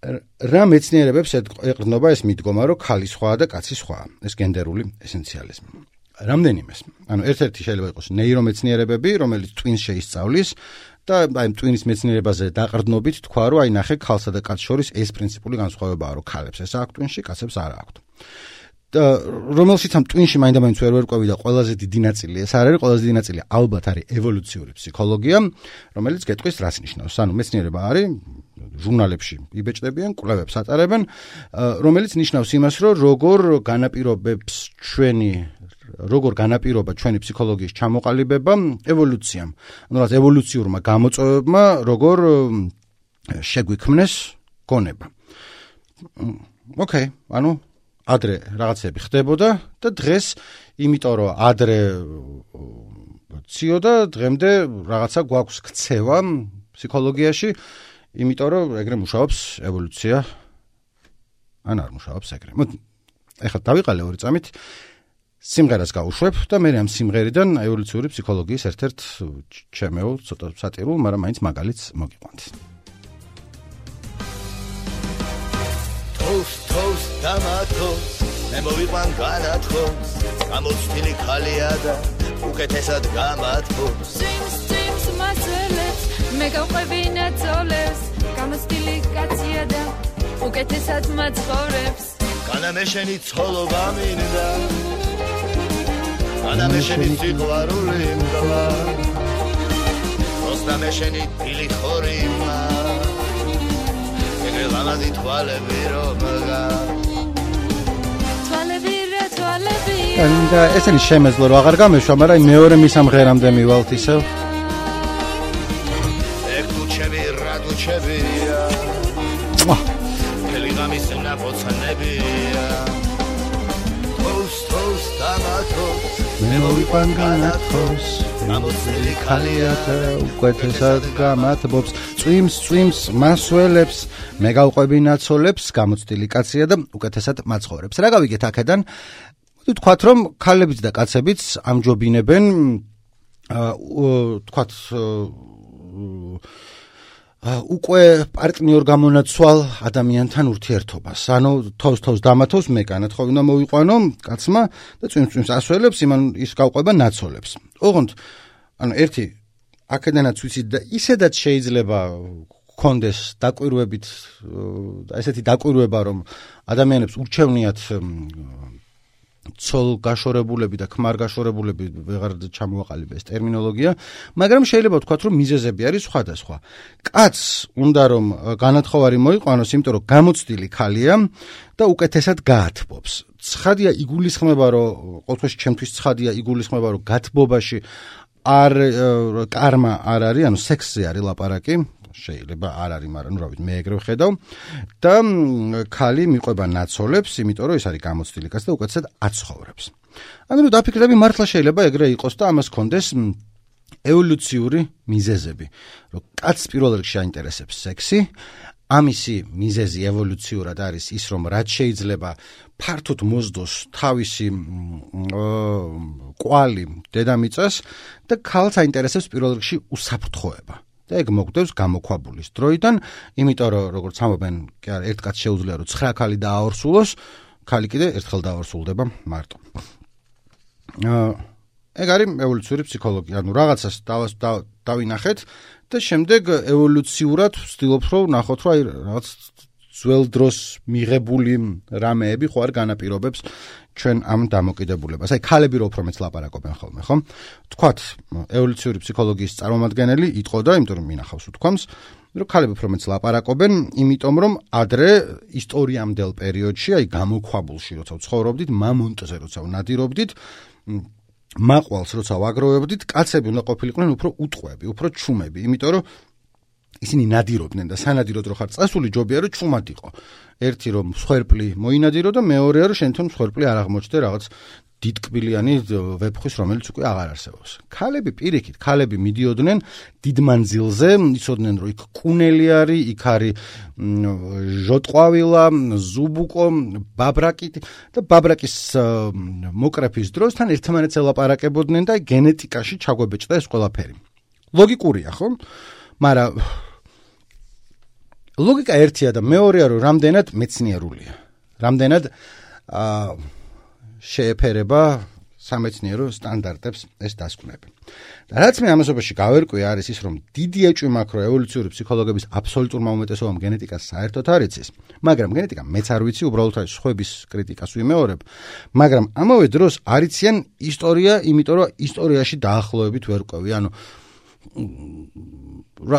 რა მეცნიერებებს ეყრდნობა ეს მიდგომა, რომ ქალი სხვაა და კაცი სხვაა, ეს გენდერული ესენციალიზმი. რამდენიმეს. ანუ ერთ-ერთი შეიძლება იყოს ნეირომეცნიერებები, რომელიც ტვინს შეისწავლის და აი ტვინის მეცნიერებაზე დაყრდნობით თქვა, რომ აი ნახე ქალსა და კაცს შორის ეს პრინციპული განსხვავებაა, რომ ქალებს ეს აქვს ტვინში, კაცებს არ აქვს. და რომელშიც ამ ტვინში მაინდა-მაინც ვერ ვერკვევი და ყველაზე დიდი ნაწილი ეს არ არის, ყველაზე დიდი ნაწილი ალბათ არის ევოლუციური ფსიქოლოგია, რომელიც გეტყვის რას ნიშნავს. ანუ მეცნიერება არის ჟურნალებში იბეჭდებიან, კვლევებს ატარებენ, რომელიც ნიშნავს იმას, რომ როგორ განაპირობა ჩვენი ფსიქოლოგიის ჩამოყალიბება ევოლუციამ. ანუ რაც ევოლუციურმა გამოწვევებმა როგორ შეგვიქმნეს გონება. ოკეი, ანუ ადრე რაღაცები ხდებოდა და დღეს იმიტომ რომ ადრე ციოდა დღემდე რაღაცა გვაქვს ქცევა ფსიქოლოგიაში იმიტომ რომ ეგრე მუშაობს ევოლუცია ან არ მუშაობს ეგრე. ეხლა დავიყალე 2 წამით სიმღერას გავუშვებ და მე ამ სიმღერიდან ევოლუციური ფსიქოლოგიის ერთ-ერთ ჩემეულ ცოტა სატირულ, მაგრამ მაინც მაგალითს მოგიყვანთ. Toast tomatos მე მოვიყვან განათხოს გამოცდილი ხალია და უკეთესად გამათბობს Streams მასელებს მე გავყვები ნაცოლებს გამოცდილი კაცია და უკეთესად მაცხოვრებს განა მე შენი ცოლობა მინდა განა მე შენი სიყვარული მგლა როსნა მე შენი დილი ხორიმა ლამაზი თვალები რომგა თვალები და ესენი შემეძლო რომ აღარ გამეშვა, მაგრამ მეორე მისამღერამდე მივალთ ისევ. ეგ თუ ჩემი რა თუ ჩემია თელიგამის ნაპოცანებია toast tomatos მე მოვიყვან განათხოს გამოცდილი ხალია და უკეთესად გამათბობს წვიმს მასველებს მე გავყვები ნაცოლებს გამოცდილი კაცია და უკეთესად მაცხოვრებს. რა გავიგეთ აქედან? თქვათ რომ ქალებიც და კაცებიც ამჯობინებენ თქვათ უკვე პარტნიორ გამონაცვალ ადამიანთან ურთიერთობას. ანუ თავს დამათოს მე განათხოვი უნდა მოვიყვანო კაცმა და წვიმს ასველებს ის გავყვება ნაცოლებს. ოღონდ ანუ ერთი აქედანაც ვიცით და ისედაც შეიძლება კონდეს დაკვირვებით ესეთი დაკვირვება რომ ადამიანებს ურჩევნიათ ცოლ გაშორებულები და ქმარ გაშორებულები ვეღარ ჩამოაყალიბეს ტერმინოლოგია, მაგრამ შეიძლება ვთქვათ რომ მიზეზები არის სხვადასხვა. კაცს უნდა რომ განათხოვარი მოიყვანოს, იმიტომ რომ გამოცდილი ხალია და უკეთესად გაათბობს. ცხადია იგულისხმება რომ ყოველთვის ჩემთვის ცხადია იგულისხმება რომ გათბობაში არ კარმა არ არის, ანუ სექსზე არის ლაპარაკი. შეიძლება არ არის, მაგრამ ნუ რა ვიცი, მე ეგრე ვხედავ და ქალი მიყვება ნაცოლებს, იმიტომ რომ ეს არის გამოცდილი კაცი და უკეთესად აცხოვრებს. ანუ რომ დაფიქრდები, მართლა შეიძლება ეგრე იყოს და ამას კონდეს ევოლუციური მიზეზები, რომ კაცს პირველ რიგში აინტერესებს სექსი, ამისი მიზეზი ევოლუციურად არის ის, რომ რაც შეიძლება ფართოდ მოსდოს თავისი კვალი დედამიწას და ქალს აინტერესებს პირველ რიგში უსაფრთხოება. და ეგ მოგვდევს გამოქვაბულის დროიდან, იმიტომ რომ როგორც ამობენ, კი არა, ერთ კაცს შეუძლია რომ 9 ქალი დააორსულოს, ქალი კიდე ერთხელ დააორსულდება მარტო. ეგ არის ევოლუციური ფსიქოლოგია. ანუ რაღაცას დავინახეთ და შემდეგ ევოლუციურად ვცდილობ რომ ნახოთ რომ აი რაღაც ძველ დროს მიღებული რამეები ხო არ განაპირობებს ჩვენ ამ დამოკიდებულებას. აი ქალები რო უფრო მეც ლაპარაკობენ ხოლმე, ხო? თქვათ ევოლუციური ფსიქოლოგიის წარმომადგენელი იტყოდა, იმიტომ რომ მინახავს უთქვამს, რომ ქალები უფრო მეც ლაპარაკობენ, იმიტომ რომ ადრე ისტორიამდელ პერიოდში, აი გამოქვაბულში როცა ვცხოვრობდით, მამონტზე როცა ვნადირობდით, მაყვალს როცა ვაგროვებდით, კაცები უნდა ყოფილიყვნენ უფრო უტყვები, უფრო ჩუმები, იმიტომ რომ ისინი ნადირობდნენ და სანადიროდ რო ხარ წასული ჯობია რომ ჩუმად იყო. ერთი რომ მსხვერპლი მოინადირო და მეორეა რომ შენთან მსხვერპლი არ აღმოჩნდა რაღაც დიდკბილიანი ვეფხვის რომელიც უკვე აღარ არსებობს. ქალები პირიქით, ქალები მიდიოდნენ დიდ მანძილზე, იცოდნენ რომ იქ კუნელი არის, იქ არის ჟოტყვავილა, ზუბუკო, ბაბრაკი და ბაბრაკის მოკრეფის დროს თან ერთმანეთს ელაპარაკებოდნენ და გენეტიკაში ჩაგვებეჭდა ეს ყველაფერი. ლოგიკურია, ხო? მაგრამ ლოგიკა ერთია და მეორეა რომ რამდენად მეცნიერულია. რამდენად შეეფერება სამეცნიერო სტანდარტებს ეს დასკვნები. და რაც მე ამასობაში გავერკვე არის ის რომ დიდი ეჭვი მაქვს რომ ევოლუციური ფსიქოლოგების აბსოლუტურმა უმეტესობამ გენეტიკას საერთოდ არ იცის, მაგრამ გენეტიკა მეც არ ვიცი, უბრალოდ არის სხვების კრიტიკას ვიმეორებ, მაგრამ ამავე დროს არ იციან ისტორია, იმიტომ რომ ისტორიაში დაახლოებით ვერ ყვევი, ანუ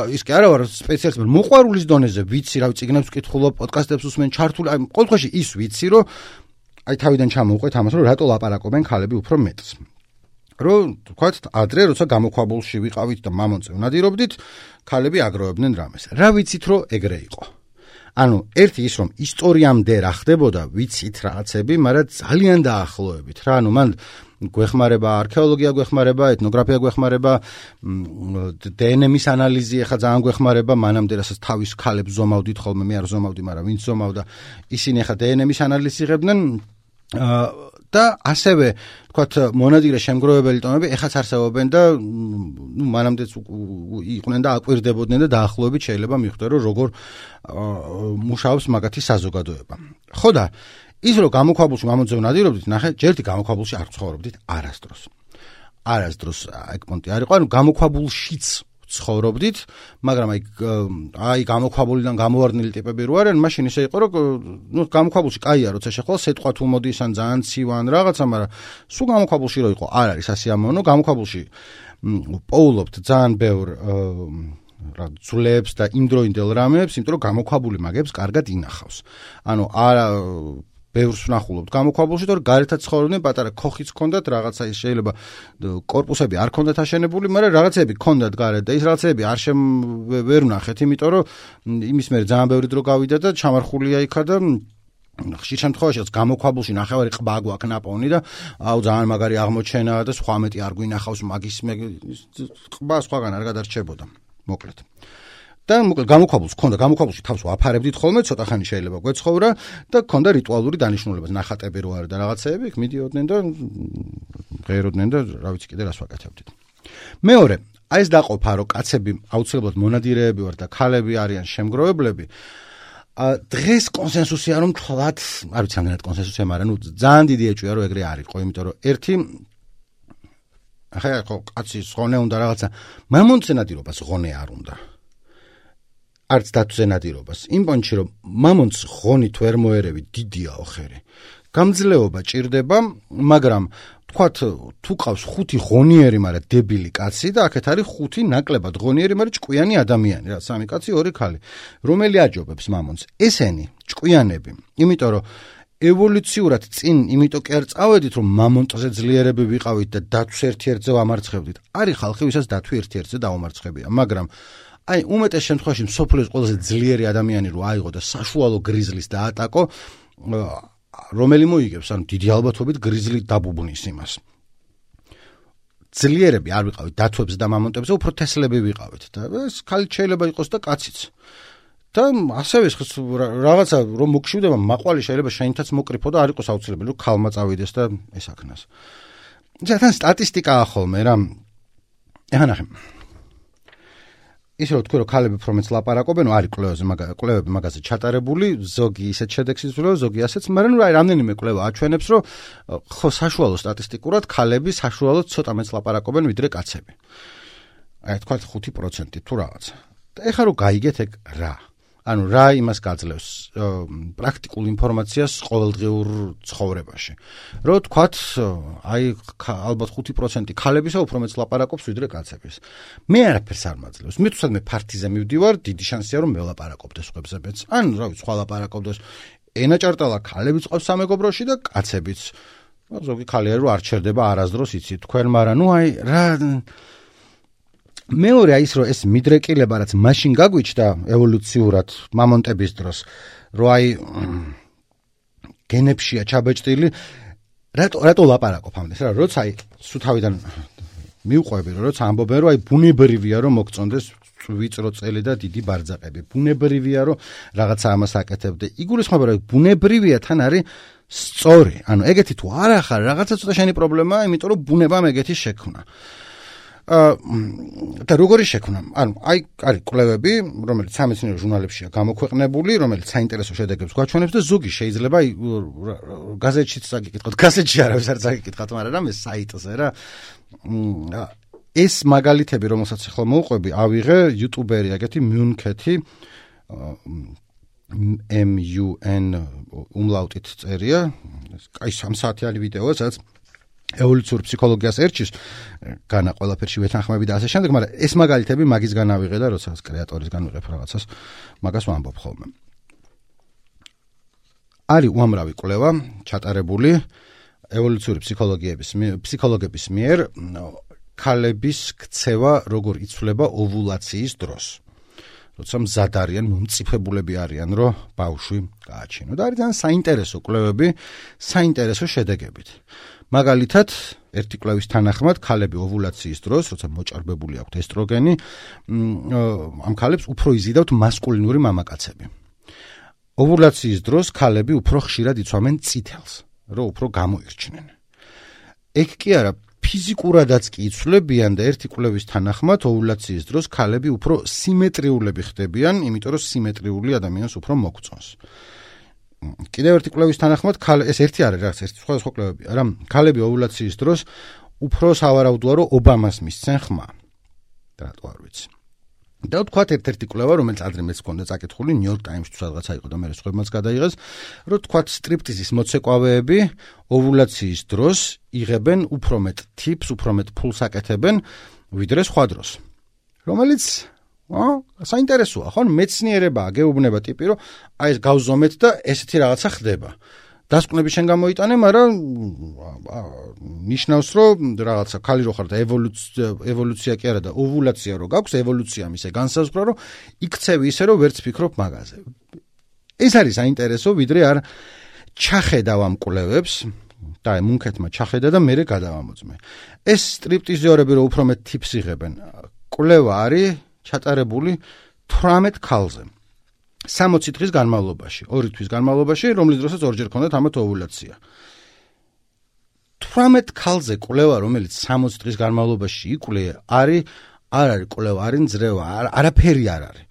ის კი არა ვარ სპეციალისტი, მოყვარულის დონეზე ვიცი, რა წიგნებს ვკითხულობ, პოდკასტებს ვუსმენ, ჩართული, აი ყოველდღეში ის ვიცი, რომ აი თავიდან ჩამოვყვეთ ამას, რომ რატო ლაპარაკობენ ქალები უფრო მეტს. რომ თქვათ, ადრე როცა გამოქვაბულში ვიყავით და მამონტზე ვნადირობდით, ქალები აგროვებდნენ რამეს. რა ვიცით, რომ ეგრე იყო. ანუ ერთი ის რომ ისტორიამდე რა ხდებოდა, ვიცით რაღაცები, მაგრამ ძალიან დაახლოებით რა, ანუ მან გვეხმარება არქეოლოგია, გვეხმარება ეთნოგრაფია, გვეხმარება დნმ-ის ანალიზი, ახლა ძალიან გვეხმარება, მანამდე რასაც თავის ქალებს ზომავდით ხოლმე, მე არ ზომავდი, მაგრამ ვინც ზომავდა, ისინი ახლა დნმ-ის ანალიზს იღებდნენ და ასევე, თქვათ, მონადირე შემგროვებელი ტომები ეხაც არსებობენ და მანამდეც იყვნენ და აკვირდებოდნენ და დაახლოებით შეიძლება მიხვდეთ, რომ როგორ მუშაობს მაგათი საზოგადოება. ხო და ის რომ გამოქვაბულში მამონტზე ვნადირობდით, ნახე, ჯერტი გამოქვაბულში არ ცხოვრობდით არასდროს. არასდროს ეგ პონტი არ იყო, ანუ გამოქვაბულშიც ცხოვრობდით, მაგრამ აი გამოქვაბულიდან გამოვარდნილი ტიპები რო არიან, მაშინ ისე იყო, რომ ნუ გამოქვაბულში კაია, როცა შეხვალ სეტყვა თუ მოდის ან ძალიან ცივან რაღაცა, მაგრამ სულ გამოქვაბულში რო იყო, არ არის ასიამოვნო, გამოქვაბულში პოულობთ ძალიან ბევრ ძვლებს და იმდროინდელ რამებს, იმიტომ რომ გამოქვაბული მაგებს კარგად ინახავს. ანუ არა ბევრს ვნახულობთ გამოქვაბულში, თორე გარეთაც ცხოვრობდნენ, პატარა ქოხიც ჰქონდათ, რაღაცა ის შეიძლება კორპუსები არ ჰქონდათ აშენებული, მაგრამ რაღაცები ჰქონდათ გარეთ და ის რაღაცები არ ვერ ვნახეთ, იმიტომ რომ იმის მერე ძალიან ბევრი დრო გავიდა და ჩამარხულია იქა და ხშირ შემთხვევაში გამოქვაბულში ნახევარი ყბა გვაქვს ნაპოვნი და აუ ძალიან მაგარი აღმოჩენაა და სხვა მეტი არ გვინახავს მაგის ყბა სხვაგან არ გადარჩებოდა. მოკლედ. და გამოქვაბულს ჰქონდა, გამოქვაბულში თავს ვაფარებდით ხოლმე, ცოტა ხანი შეიძლება გვეცხოვრა და ჰქონდა რიტუალური დანიშნულება, ნახატები რო არის და რაღაცეები, იქ მიდიოდნენ და ღეროდნენ და რა ვიცი კიდე რას ვაკეთებდით. მეორე, აი ეს დაყოფა, რომ კაცები აუცილებლად მონადირეები ვარ და ქალები არიან შემგროვებლები, დღეს კონსენსუსია რომ თქვათ, არ ვიცი ამდენად კონსენსუსია, მაგრამ ნუ ძალიან დიდი ეჭვია რომ ეგრე არ იყო, იმიტომ რომ ერთი ახლა კაცის ღონე უნდა რაღაცა, მამონტზე ნადირობას ღონე არ უნდა. არც დათვზე ნადირობას. იმ პონჩი რომ მამონტს ღონით ვერ მოერევი, დიდია ოხერი. გამძლეობა ჭირდება, მაგრამ თქვათ თუ ყავს 5 ღონიერი, მაგრამ დებილი კაცი და აქეთ არის 5 ნაკლებად ღონიერი, მაგრამ ჭკვიანი ადამიანი, რა, 3 კაცი, 2 ქალი. რომელი აჯობებს მამონტს? ესენი, ჭკვიანები. იმიტომ რომ ევოლუციურად წინ, იმიტომ კი არ წავედით, რომ მამონტზე ძლიერები ვიყავით და დათვს ერთ-ერთზე ვამარცხებდით. არის ხალხი, ვისაც დათვი ერთ-ერთზე დაუმარცხებია, მაგრამ აი უმეტეს შემთხვევაში მსოფლიოს ყველაზე ძლიერი ადამიანი რო აიღო და საშუალო გრიზლის დაატაკო, რომელი მოიგებს, ანუ დიდი ალბათობით გრიზლი დაბუბნის იმას. ძლიერები არ ვიყავით დათვებზე და მამონტებზე, უფრო თესლები ვიყავით და ეს ქალი შეიძლება იყოს და კაციც. და ასევე რაღაცა რომ მოგშვიდება, მაყვალი შეიძლება შენითაც მოკრიფო და არ იყოს აუცილებელი რომ ქალმა წავიდეს და ესაქნას. თან სტატისტიკაა ხოლმე რა. ეხლა ნახე. ისე რომ თქვი რომ ქალები უფრო მეც ლაპარაკობენ, არის კვლევები მაგაზე ჩატარებული, ზოგი ისეთ შედეგს იძლევა, ზოგი ასეც, მაგრამ ნუ რამდენიმე კვლევა აჩვენებს, რომ ხო საშუალო სტატისტიკურად ქალები საშუალოდ ცოტა მეც ლაპარაკობენ ვიდრე კაცები. აი თქვა 5% თუ რაღაცა. და ეხლა რომ გაიგეთ ეგ რა. ანუ რა იმას გაძლევს პრაქტიკულ ინფორმაციას ყოველდღიურ ცხოვრებაში. რომ თქვათ, აი ალბათ 5% ქალებისა უფრო მეც ლაპარაკობს ვიდრე კაცების. მე არაფერს არ მაძლევს. მე თვითონ მე ფართიზე მივდივარ, დიდი შანსია რომ მე ლაპარაკობდეს სხვებზეც. ან რავი, სხვა ლაპარაკობდეს. ენა ჭარტალა ქალებიც ყავს სამეგობროში და კაცებიც. ზოგი ქალი რომ არ ჩერდება არასდროს იცით თქვენ, მაგრამ ნუ აი რა მეორე ის რომ ეს მიდრეკილება რაც მაშინ გაგვიჩნდა ევოლუციურად მამონტების დროს რომ აი გენებშია ჩაბეჭდილი რატო ლაპარაკობ ამდეს რა როცა აი სუთავიდან მიუყვები რომ როცა ამბობენ რომ აი ბუნებრივია რომ მოგწონდეს ვიწრო წელი და დიდი ბარძაყები ბუნებრივია რომ რაღაცა ამას აკეთებდე იგულისხმება რომ ბუნებრივია თან არის სწორი ანუ ეგეთი თუ არ ახარ რაღაცა ცოტა შენი პრობლემაა იმიტომ რომ ბუნებამ ეგეთი შექმნა და როგორი შექმნა? ანუ აი არის კვლევები, რომელიც სამეცნიერო ჟურნალებშია გამოქვეყნებული, რომელიც საინტერესო შედეგებს გვაჩვენებს და ზოგი შეიძლება გაზეთშიც წაგიკითხოთ, გაზეთში არავის არ წაგიკითხოთ, მაგრამ ეს საიტზე რა. ეს მაგალითები, რომელსაც ახლა მოვყვები, ავიღე იუტუბერი ეგეთი მიუნქეთი MUN უმლაუტით წერია. აი 3 საათიანი ვიდეოა, სადაც ევოლუციურ ფსიქოლოგიას ერჩის განა ყველაფერში ვეთანხმები და ასე შემდეგ, მაგრამ ეს მაგალითები მაგისგან ავიღე და როდესაც კრეატორისგან ვიღებ რაღაცას, მაგას ვამბობ ხოლმე. არის უამრავი კვლევა ჩატარებული ევოლუციური ფსიქოლოგების მიერ ქალების ქცევა როგორ იცვლება ოვულაციის დროს. როცა მზად არიან, მომწიფებულები არიან, რომ ბავშვი გააჩინო. და არის ძალიან საინტერესო კვლევები, საინტერესო შედეგებით. მაგალითად, ერთი კვლევის თანახმად, ქალები ოვულაციის დროს, როცა მოჭარბებული აქვთ ესტროგენი, ამ ქალებს უფრო იზიდავთ მასკულინური მამაკაცები. ოვულაციის დროს ქალები უფრო ხშირად იცვამენ წითელს, რომ უფრო გამოირჩნენ. ეგ კი არა, ფიზიკურადაც კი იცვლებიან და ერთი კვლევის თანახმად, ოვულაციის დროს ქალები უფრო სიმეტრიულები ხდებიან, იმიტომ რომ სიმეტრიული ადამიანს უფრო მოგწონს. კიდევ ერთი კვლევის თანახმად ეს ერთი არის რაღაც ერთი სხვა კვლევები არა ქალები ოვულაციის დროს უფრო სავარაუდოა რომ ობამას მისცენ ხმა რატო არ ვიცი და თქვათ ერთ-ერთი კვლევა რომელიც ადრე მეც მქონდა წაკითხული ნიუ-იორკ ტაიმსში თუ სადღაცა იყო და მე სხვებმაც გადაიღეს რომ თქვათ სტრიპტიზის მოცეკვავეები ოვულაციის დროს იღებენ უფრო მეტ ტიპს უფრო მეტ ფულს აკეთებენ ვიდრე სხვა დროს რომელიც საინტერესოა, ხო? მეცნიერებაა, გეუბნება ტიპი, რომ აი ეს გავზომეთ და ესეთი რაღაცა ხდება. დასკვნები შენ გამოიტანე, მაგრამ ნიშნავს, რომ რაღაცა ქალი რო ხარ და ევოლუცია კი არა და ოვულაცია რო გაქვს, ევოლუციამ ისე განსაზღვრა, რომ იქცევი ისე, რომ ვერც ფიქრობ მაგაზე. ეს არის საინტერესო, ვიდრე არ ჩახედავ ამ კვლევებს და მუნქეთმა ჩახედა და მერე გადავამოწმე. ეს სტრიპტიზიორები რო უფრო მეტ ტიპს იღებენ. კვლევა არის ჩატარებული 18 ქალზე 60 დღის განმავლობაში 2 თვის განმავლობაში რომლის დროსაც ორჯერ ქონდათ ამათ ოვულაცია 18 ქალზე კვლევა რომელიც 60 დღის განმავლობაში იკვლია არ არის კვლევა არის ძრევა არაფერი არ არის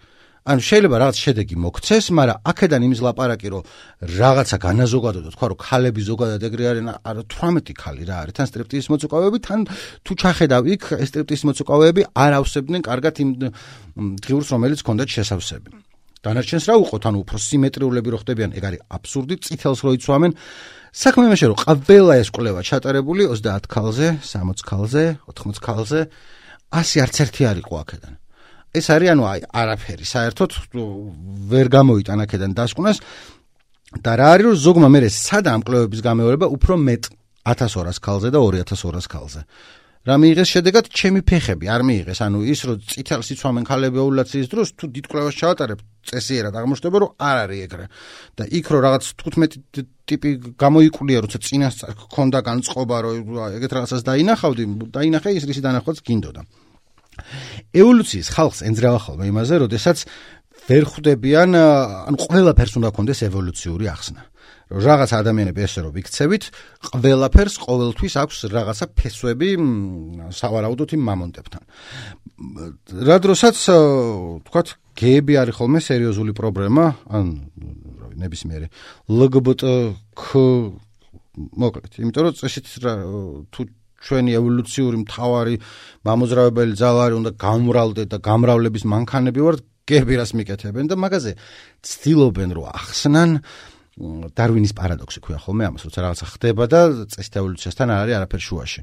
ანუ შეიძლება რაღაც შედეგი მოგცეს მაგრამ აქედან იმის ლაპარაკი რომ რაღაცა განაზოგადო და თქვა რომ ქალები ზოგადად ეგრე არიან არა 18 ქალი რა არის თან სტრიპტიზის მოცურავეები თან თუ ჩახედავ იქ ეს სტრიპტიზის მოცურავეები არ ავსებდნენ კარგად იმ ღიურს რომელიც ჰქონდათ შესავსები დანარჩენს რა უყოთ ანუ უფრო სიმეტრიულები რო ხდებიან ეგ არის აბსურდი წითელს რო იცვამენ საქმე იმაში რომ ყველა ეს კვლევა ჩატარებული 30 ქალზე 60 ქალზე 80 ქალზე 100 არც ერთი არ იყო აქედან ეს არის ანუ აი არაფერი საერთოდ ვერ გამოიტან აქედან დასკვნას და რა არის რომ ზოგმა მე სადა ამ კვლევების გამეორება უფრო მეტ 1200 ქალზე და 2200 ქალზე რა მიიღეს შედეგად ჩემი ფეხები არ მიიღეს ანუ ის რომ წითელს იცვამენ ქალები ოვულაციის დროს თუ დიდ კვლევას ჩავატარებ წესიერად აღმოჩნდება რომ არ არის ეგრე და იქ რომ რაღაც 15 ტიპი გამოიკვლია როცა წინასწარ გქონდა განწყობა რომ ეგეთ რაღაცას დაინახე ის რისი დანახვაც გინდოდა ევოლუციის ხალხს ენძრავა ხოლმე იმაზე, როდესაც ვერ ხვდებიან, ანუ ყველაფერს უნდა კონდეს ევოლუციური ახსნა. რომ რაღაც ადამიანები ესე რომ ვიქცევით, ყველაფერს ყოველთვის აქვს რაღაცა ფესვები სავარაუდოდ იმ მამონტებთან. რა დროსაც თქვათ გეები არის ხოლმე სერიოზული პრობლემა, ან ნებისმიერი LGBTQ მოკლედ, იმიტომ რომ წესით თუ ჩვენი ევოლუციური მთავარი მამოძრავებელი ძალარი უნდა გამრავლდეთ და გამრავლების მანქანები ვართ, გეები რას მიკეთებენ და მაგაზე ცდილობენ რომ ახსნან დარვინის პარადოქსი ქვია ხოლმე ამას, როცა რაღაცა ხდება და წესით ევოლუციასთან არ არის არაფერი შუაში.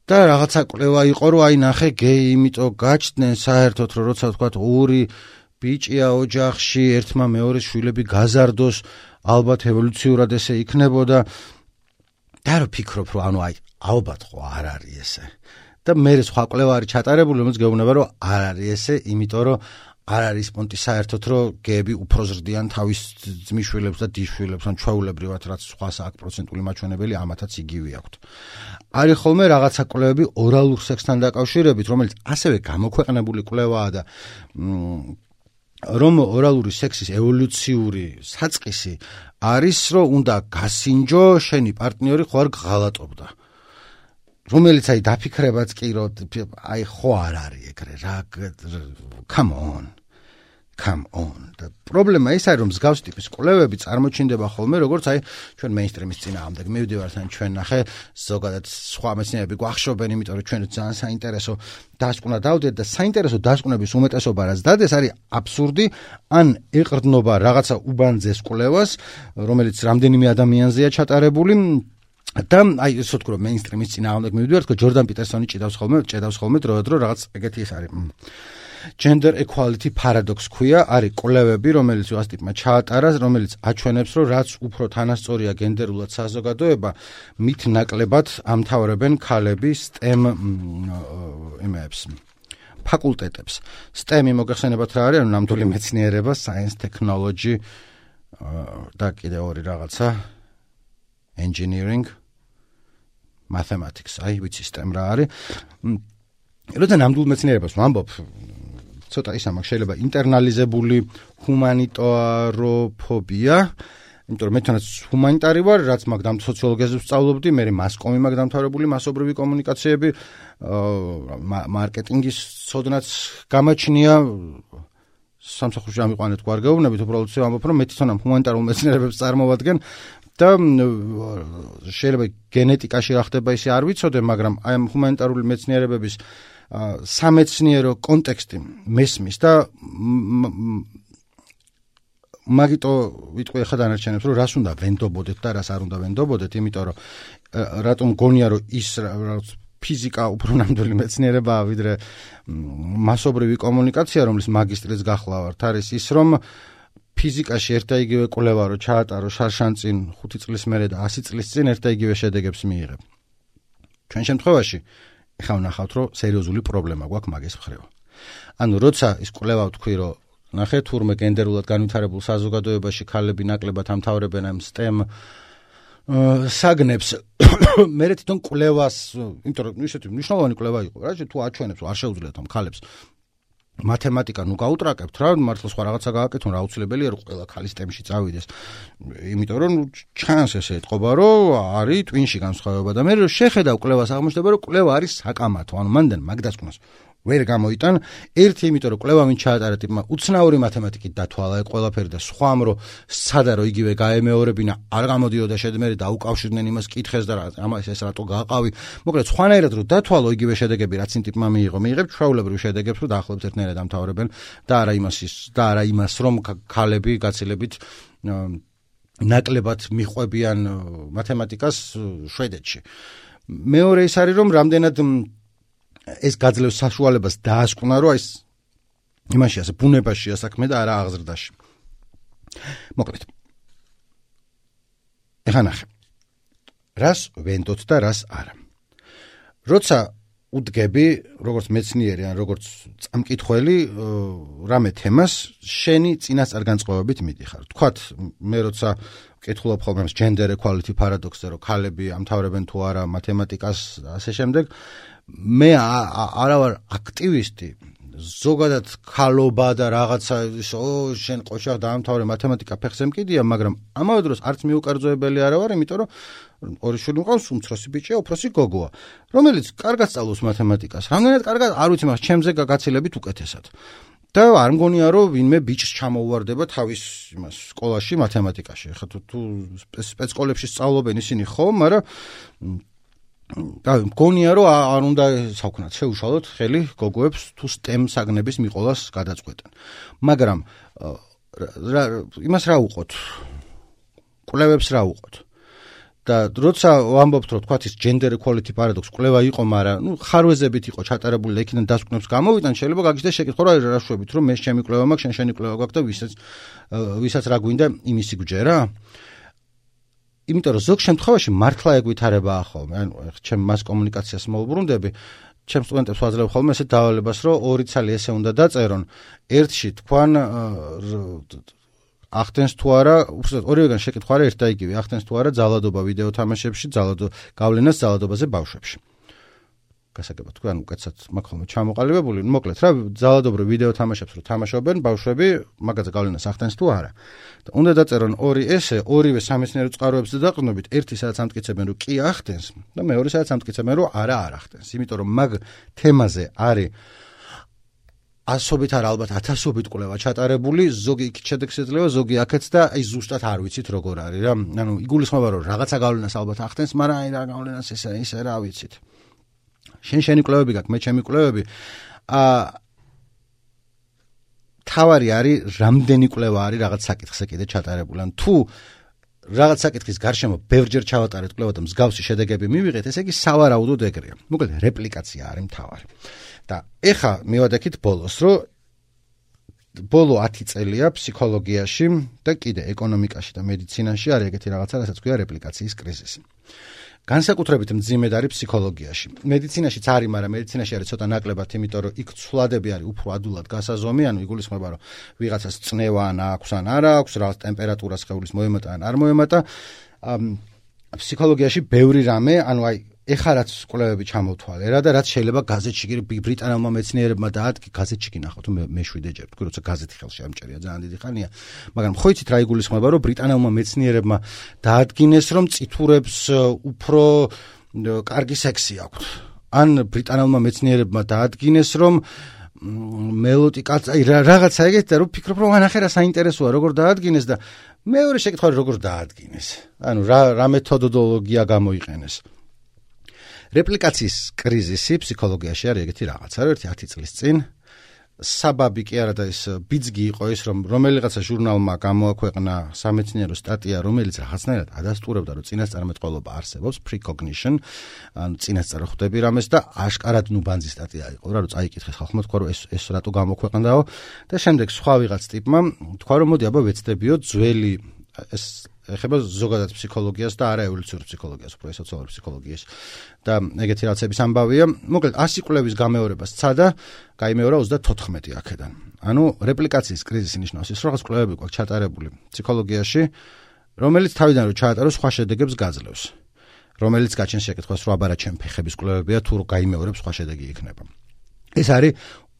და რაღაცა კვლევა იყო რომ აი ნახე გეი იმიტომ გაჩნდნენ საერთოდ რომ როცა თქვა ორი ბიჭია ოჯახში ერთმა მეორეს შვილები გაზარდოს ალბათ ევოლუციურად ესე იქნებოდა და რო ფიქრობ რომ ანუ აი ალბათ ხო არ არის ესე და მე სხვა კვლევა არის ჩატარებული რომელიც გეუბნება რომ არ არის ესე იმიტომ რომ არ არის პონტი საერთოდ რომ გეები უფრო ზრდიან თავის ძმისშვილებს და დისშვილებს ან ჩვეულებრივად რაც სხვა აქვს პროცენტული მაჩვენებელი ამათაც იგივე აქვთ. არის ხოლმე რაღაცა კვლევები ორალურ სექსთან დაკავშირებით რომელიც ასევე გამოქვეყნებული კვლევაა და რომ ორალური სექსის ევოლუციური საწყისი არის რომ უნდა გასინჯო შენი პარტნიორი ხო არ გღალატობდა რომელიც აი დაფიქრებაც კი რომ აი ხო არ არის ეგრე რა come on და პრობლემა ის არის რომ მსგავს ტიპის კვლევები წარმოჩინდება ხოლმე როგორც აი ჩვენ მეინსტრიმის წინააღმდეგ მივდივართ ან ჩვენ ნახე ზოგადად სხვა მეცნიერები გვახშობენ იმიტომ რომ ჩვენ ძალიან საინტერესო დასკვნა დავდეთ და საინტერესო დასკვნების უმეტესობა რაც დადეს არის აბსურდი ან ეყრდნობა რაღაცა უბანძეს კვლევას რომელიც რამდენიმე ადამიანზეა ჩატარებული და აი ისე ვთქვი რომ მეინსტრიმის წინააღმდეგ მივდივართ ხო ჯორდან პიტერსონი ჭედავს ხოლმე დროდადრო რაღაც ეგეთი ის არის gender equality paradox ქვია არის კვლევები რომელიც ვას ტიპმა ჩაატარა რომელიც აჩვენებს რომ რაც უფრო თანასწორია გენდერულად საზოგადოება მით ნაკლებად ამთავრებენ ქალები STEM იმებს ფაკულტეტებს STEM-ი მოგეხსენებათ რა არის ანუ ნამდვილი მეცნიერება science technology და კიდე ორი რაღაცა engineering mathematics აი ვიცი STEM რა არის როცა ნამდვილ მეცნიერებას ვამბობ ცოტა ისა მაგ შეიძლება ინტერნალიზებული ჰუმანიტაროფობია იმიტომ რომ მე თვითონაც ჰუმანიტარი ვარ რაც მაგ სოციოლოგიაზე ვსწავლობდი მე მასკომი მაგ დამთავრებული მასობრივი კომუნიკაციები მარკეტინგის ცოდნაც გამაჩნია სამსახურში ამიყვანეთ გვარ გეუბნებით უბრალოდ ვამბობ რომ მე თვითონ ამ ჰუმანიტარულ მეცნიერებებს წარმოვადგენ და შეიძლება გენეტიკაში რა ხდება ისე არ ვიცოდე მაგრამ აი ამ ჰუმანიტარული მეცნიერებების სამეცნიერო კონტექსტი მესმის და მაგიტო ვიტყვი ახლა დანარჩენებს რომ რას უნდა ვენდობოდეთ და რას არ უნდა ვენდობოდეთ იმიტომ რომ რატომ გონია რომ ის ფიზიკა უფრო ნამდვილი მეცნიერებაა ვიდრე მასობრივი კომუნიკაცია რომლის მაგისტრიც გახლავართ არის ის რომ ფიზიკაში ერთ და იგივე კვლევა რო ჩაატარო შარშანწინ 5 წლის მერე და 100 წლის წინ ერთ და იგივე შედეგებს მიიღებ. ჩვენ შემთხვევაში ეხლა ვნახავთ რომ სერიოზული პრობლემა გვაქვს მაგის მხრივ. ანუ როცა ის კვლევა თქვი რომ ნახე თურმე გენდერულად განვითარებულ საზოგადოებაში ქალები ნაკლებად ამთავრებენ ამ STEM საგნებს მე თვითონ კვლევას იმიტომ რომ ისეთი მნიშვნელოვანი კვლევა იყო რა თუ აჩვენებს არ შეუძლიათ ამ ქალებს მათემატიკა ნუ გაუტრაკებთ რა მართლა სხვა რაღაცა გააკეთონ რა აუცილებელია რომ ყველა ქალი STEM-ში წავიდეს იმიტომ რომ ჩანს ესე ეთყობა რომ არის ტვინში განსხვავება და მე რომ შეხედავ კვლევას აღმოჩნდება რომ კვლევა არის საკამათო ანუ მანდან მაგ დასკვნას ვერ გამოიტან ერთი იმიტომ რომ კვლევა ვინ ჩაატარა ტიპმა უცნაური მათემატიკით დათვალა ეგ ყველაფერი და სხვამ რომ სადა რომ იგივე გაემეორებინა არ გამოდიოდა შედმერი დაუკავშირდნენ იმას კითხეს და ამას ეს რატო გაყავი მოკლედ სხვანაირად რომ დათვალო იგივე შედეგები რაც იმ ტიპმა მიიღებ ჩვეულებრივ შედეგებს რომ დაახლოებით ერთნაირად ამთავრებენ და არა იმას რომ ქალები გაცილებით ნაკლებად მიყვებიან მათემატიკას შვედეთში მეორე ის არის რომ რამდენად ეს გაძლევს საშუალებას დაასკვნა რომ ეს იმაში ასე ბუნებაშია საქმე და არა აღზრდაში. მოკლედ. ეხლა ნახე. რას ვენდოთ და რას არა. როცა უდგები როგორც მეცნიერი ან როგორც წამკითხველი რამე თემას შენი წინასწარგანწყობებით მიდიხარ. თქვათ მე როცა ვკითხულობ ხოლმე ამ gender equality paradox-ზე რომ ქალები ამთავრებენ თუ არა მათემატიკას ასე შემდეგ მე არა ვარ აქტივისტი ზოგადად ქალობა და რაღაცა შენ ყოშაღ დაამთავრე მათემატიკა ფეხზე მკიდია, მაგრამ ამავე დროს არც მიუკერძოებელი არა ვარ, იმიტომ რომ ორი შვილი მყავს, უმცროსი ბიჭია, უფროსი გოგოა, რომელიც კარგად სწავლობს მათემატიკას. რამდენად კარგად არ ვიცი, მაგრამ ჩემზე გაგაცილებით უკეთესად. და არ მგონია რომ ვინმე ბიჭს ჩამოუვარდება თავის იმას სკოლაში მათემატიკაში. ხა თუ სპეცსკოლებში სწავლობენ ისინი ხო, მაგრამ და მგონია რომ არ უნდა საქმნათ შეუშალოთ ხელი გოგოებს თუ STEM საგნების მიყოლას გადაწყვეტენ. მაგრამ იმას რა უყოთ? კვლევებს რა უყოთ? და როცა ვამბობთ რომ თქვათ ის gender equality paradox კვლევა იყო, მაგრამ ხარვეზებით იყო ჩატარებული და იქიდან დასკვნებს გამოვიტან, შეიძლება გაგიჩნდეს შეკითხვა რა რაშვებით რომ მე ჩემი კვლევა მაქვს, შენი კვლევა გაქვს და ვისაც რა გვინდა იმისი გვჯერა? იმიტომ რომ ზოგ შემთხვევაში მართლა ეგ ვითარებაა ხოლმე. ანუ ჩემ მას კომუნიკაციას მოვუბრუნდები, ჩემ სტუდენტებს ვაძლევ ხოლმე ესეთ დავალებას, რომ ორი ცალი ესე უნდა დაწერონ, ერთში თქვან ახდენს თუ არა, უბრალოდ ორივეგან შეკითხვა არა ერთ და იგივე, ახდენს თუ არა ძალადობა ვიდეო თამაშებში, გავლენას ძალადობაზე ბავშვებში. გასაგებად თქვენ უკეთესად მაქვს ხოლმე ჩამოყალიბებული, მოკლედ რა, ძალადობრივ ვიდეო თამაშებს რო თამაშობენ ბავშვები, მაგაზე გავლენას ახდენს თუ არა. და უნდა დაწერონ ორი ესე, ორივე სამეცნიერო წყაროებზე დაყრდნობით, ერთი სადაც ამტკიცებენ რომ კი ახდენს და მეორე სადაც ამტკიცებენ რომ არა არ ახდენს. იმიტომ რომ მაგ თემაზე არის ასობით არა ალბათ 1000-ობით კვლევა ჩატარებული, ზოგი იქ შედეგს ეძლევა, ზოგი აქაც და აი ზუსტად არ ვიცით როგორ არის რა. ანუ იგულისხმება რომ რაღაცა გავლენას ალბათ ახდენს, მაგრამ აი რა გავლენას ესე რა ვიცით. შენი კვლევები გაქვს, მე ჩემი კვლევები. თავარი არის რამდენი კვლევა არის რაღაც საკითხზე კიდე ჩატარებული. ან თუ რაღაც საკითხის გარშემო ბევრჯერ ჩავატარეთ კვლევა და მსგავსი შედეგები მივიღეთ, ესე იგი სავარაუდოდ ეგრეა. მოკლედ რეპლიკაცია არის მთავარი. და ეხა მივადექით ბოლოს, რომ ბოლო 10 წელია ფსიქოლოგიაში და კიდე ეკონომიკაში და მედიცინაში არის ეგეთი რაღაცა, რასაც ქვია რეპლიკაციის კრიზისი. განსაკუთრებით მძიმედ არის ფსიქოლოგიაში. მედიცინაშიც არის, მაგრამ მედიცინაში არის ცოტა ნაკლებად, იმიტომ რომ იქ ცვლადები არის უფრო ადულად გასაზომი, ანუ იგულისხმება რომ ვიღაცას წნევა ან აქვს ან არა აქვს, რაღაც ტემპერატურა სხეულის მოემატა ან არ მოემატა. ფსიქოლოგიაში ბევრი რამე, ანუ აი ეხლა რაც კვლევები ჩამოვთვალე რა და რაც შეიძლება გაზეთში ბრიტანელმა მეცნიერებმა დაადგინეს, გაზეთში გინახავთ მე 7 ჯერ, თქვი როცა გაზეთი ხელში ამჭერია ძალიან დიდი ხანია, მაგრამ ხო იცით რა იგულისხმება რომ ბრიტანელმა მეცნიერებმა დაადგინეს რომ წითურებს უფრო კარგი სექსი აქვთ. ან ბრიტანელმა მეცნიერებმა დაადგინეს რომ მელოტი კაცი აი რაღაცა ეგეთი და რომ ფიქრობ რომ ანახე რა საინტერესოა როგორ დაადგინეს და მეორე შეკითხვა როგორ დაადგინეს. ანუ რა მეთოდოლოგია გამოიყენეს. რეპლიკაციის კრიზისი ფსიქოლოგიაში არის ეგეთი რაღაცა, რომ 10 წლის წინ საბაბი კი არა და ის ბიძგი იყო ის, რომ რომელიღაცა ჟურნალმა გამოაქვეყნა სამეცნიერო სტატია, რომელიც რაღაცნაირად ადასტურებდა, რომ წინასწარმეტყველობა არსებობს, precognition, ანუ წინასწარ ხვდები რამეს და აშკარად ბანძი სტატია იყო, რომ წაიკითხეს ხალხმა, თქვა რომ ეს რატო გამოქვეყნდაო და შემდეგ სხვა ვიღაც ტიპმა თქვა რომ მოდი აბა ვეცდებიო ძველი ეს ეხება ზოგადად ფსიქოლოგიას და არა ევოლუციურ ფსიქოლოგიას, უფრო სოციალურ ფსიქოლოგიას. და ეგეთი რაღაცების ამბავია. მოკლედ 100 კვლევის გამეორება სცადა, გაიმეორა 34 აქედან. ანუ რეპლიკაციის კრიზისი ნიშნავს ის, რომ რაღაც კვლევები გვაქვს ჩატარებული ფსიქოლოგიაში, რომელიც თავიდან რომ ჩაატაროს სხვა შედეგებს გაძლევს. რომელიც გაჩენს შეკითხვას, რომ აბარა ჩემ ფეხების კვლევებია თუ გაიმეორებს სხვა შედეგი იქნება. ეს არის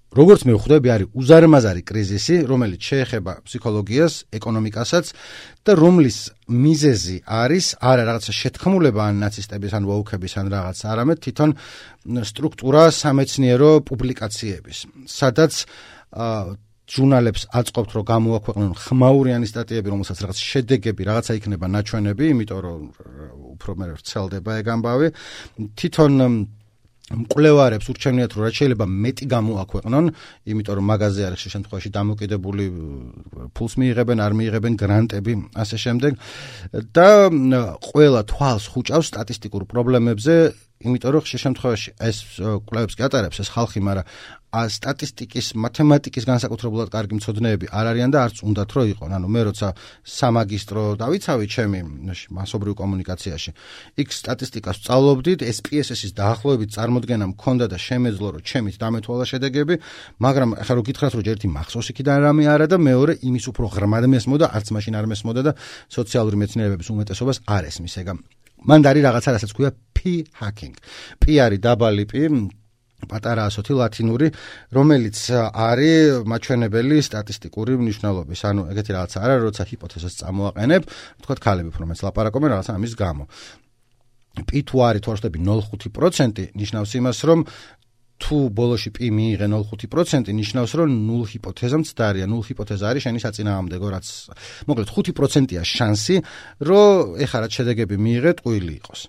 როგორც მე ვხვდები, არის უზარმაზარი კრიზისი, რომელიც შეეხება ფსიქოლოგიას, ეკონომიკასაც და რომლის მიზეზი არის არა რაღაცა შეთქმულება ან ნაცისტების ან ვოუქების ან რაღაც, არამედ თვითონ სტრუქტურა სამეცნიერო პუბლიკაციების, სადაც ჟურნალებს აწყობთ, რომ გამოაქვეყნონ ხმაურიანი სტატიები, რომელსაც რაღაც შედეგები, რაღაცა იქნება ნაჩვენები, იმიტომ რომ უფრო მე ვრცელდება ეგ ამბავი. თვითონ მკვლევარებს ურჩევნიათ, რომ რაც შეიძლება მეტი გამოაქვეყნონ, იმიტომ რომ მაღაზია არის შემთხვევაში დამოკიდებული ფულს მიიღებენ, არ მიიღებენ გრანტები, ასე შემდეგ და ყველა თვალს ხუჭავს სტატისტიკურ პრობლემებზე, იმიტომ რომ შემთხვევაში ეს კვლევებს კი ატარებს ეს ხალხი, მაგრამ სტატისტიკის, მათემატიკის განსაკუთრებულად კარგი მცოდნეები არ არიან და არც უნდათ რომ იყონ. ანუ მე როცა სამაგისტრო დავიცავი ჩემი მასობრივ კომუნიკაციაში, იქ სტატისტიკას სწავლობდით, SPSS-ის დაახლოებით წარმოდგენა მქონდა და შემეძლო რომ ჩემით დამეთვალა შედეგები, მაგრამ ახლა რო გითხრათ რომ ერთი მახსოვს იქიდან რამე არა და მეორე იმის უფრო ღრმად მესმოდა, არც მაშინ არ მესმოდა და სოციალური მეცნიერებების უმეტესობას არ ესმის ეგა. მან არის რაღაცა, რასაც ქვია p-hacking. p არის დაბალი p პატარა ასოთი ლათინური, რომელიც არის მაჩვენებელი სტატისტიკური მნიშვნელობის. ანუ ეგეთი რაღაც არა, როცა ჰიპოთეზას წამოაყენებ, თქვათ ქალები უფრო მეც ლაპარაკობენ რაღაცა ამის გამო. პი თუ არის თუ არ ვშტები 0.5% ნიშნავს იმას, რომ თუ ბოლოში პი მიიღე 0.5% ნიშნავს, რომ 0 ჰიპოთეზა მცდარია. 0 ჰიპოთეზა არის შენი საწინააღმდეგო, რაც მოკლედ 5%-ია შანსი, რომ ეხლა რაც შედეგები მიიღე, ტყუილი იყოს.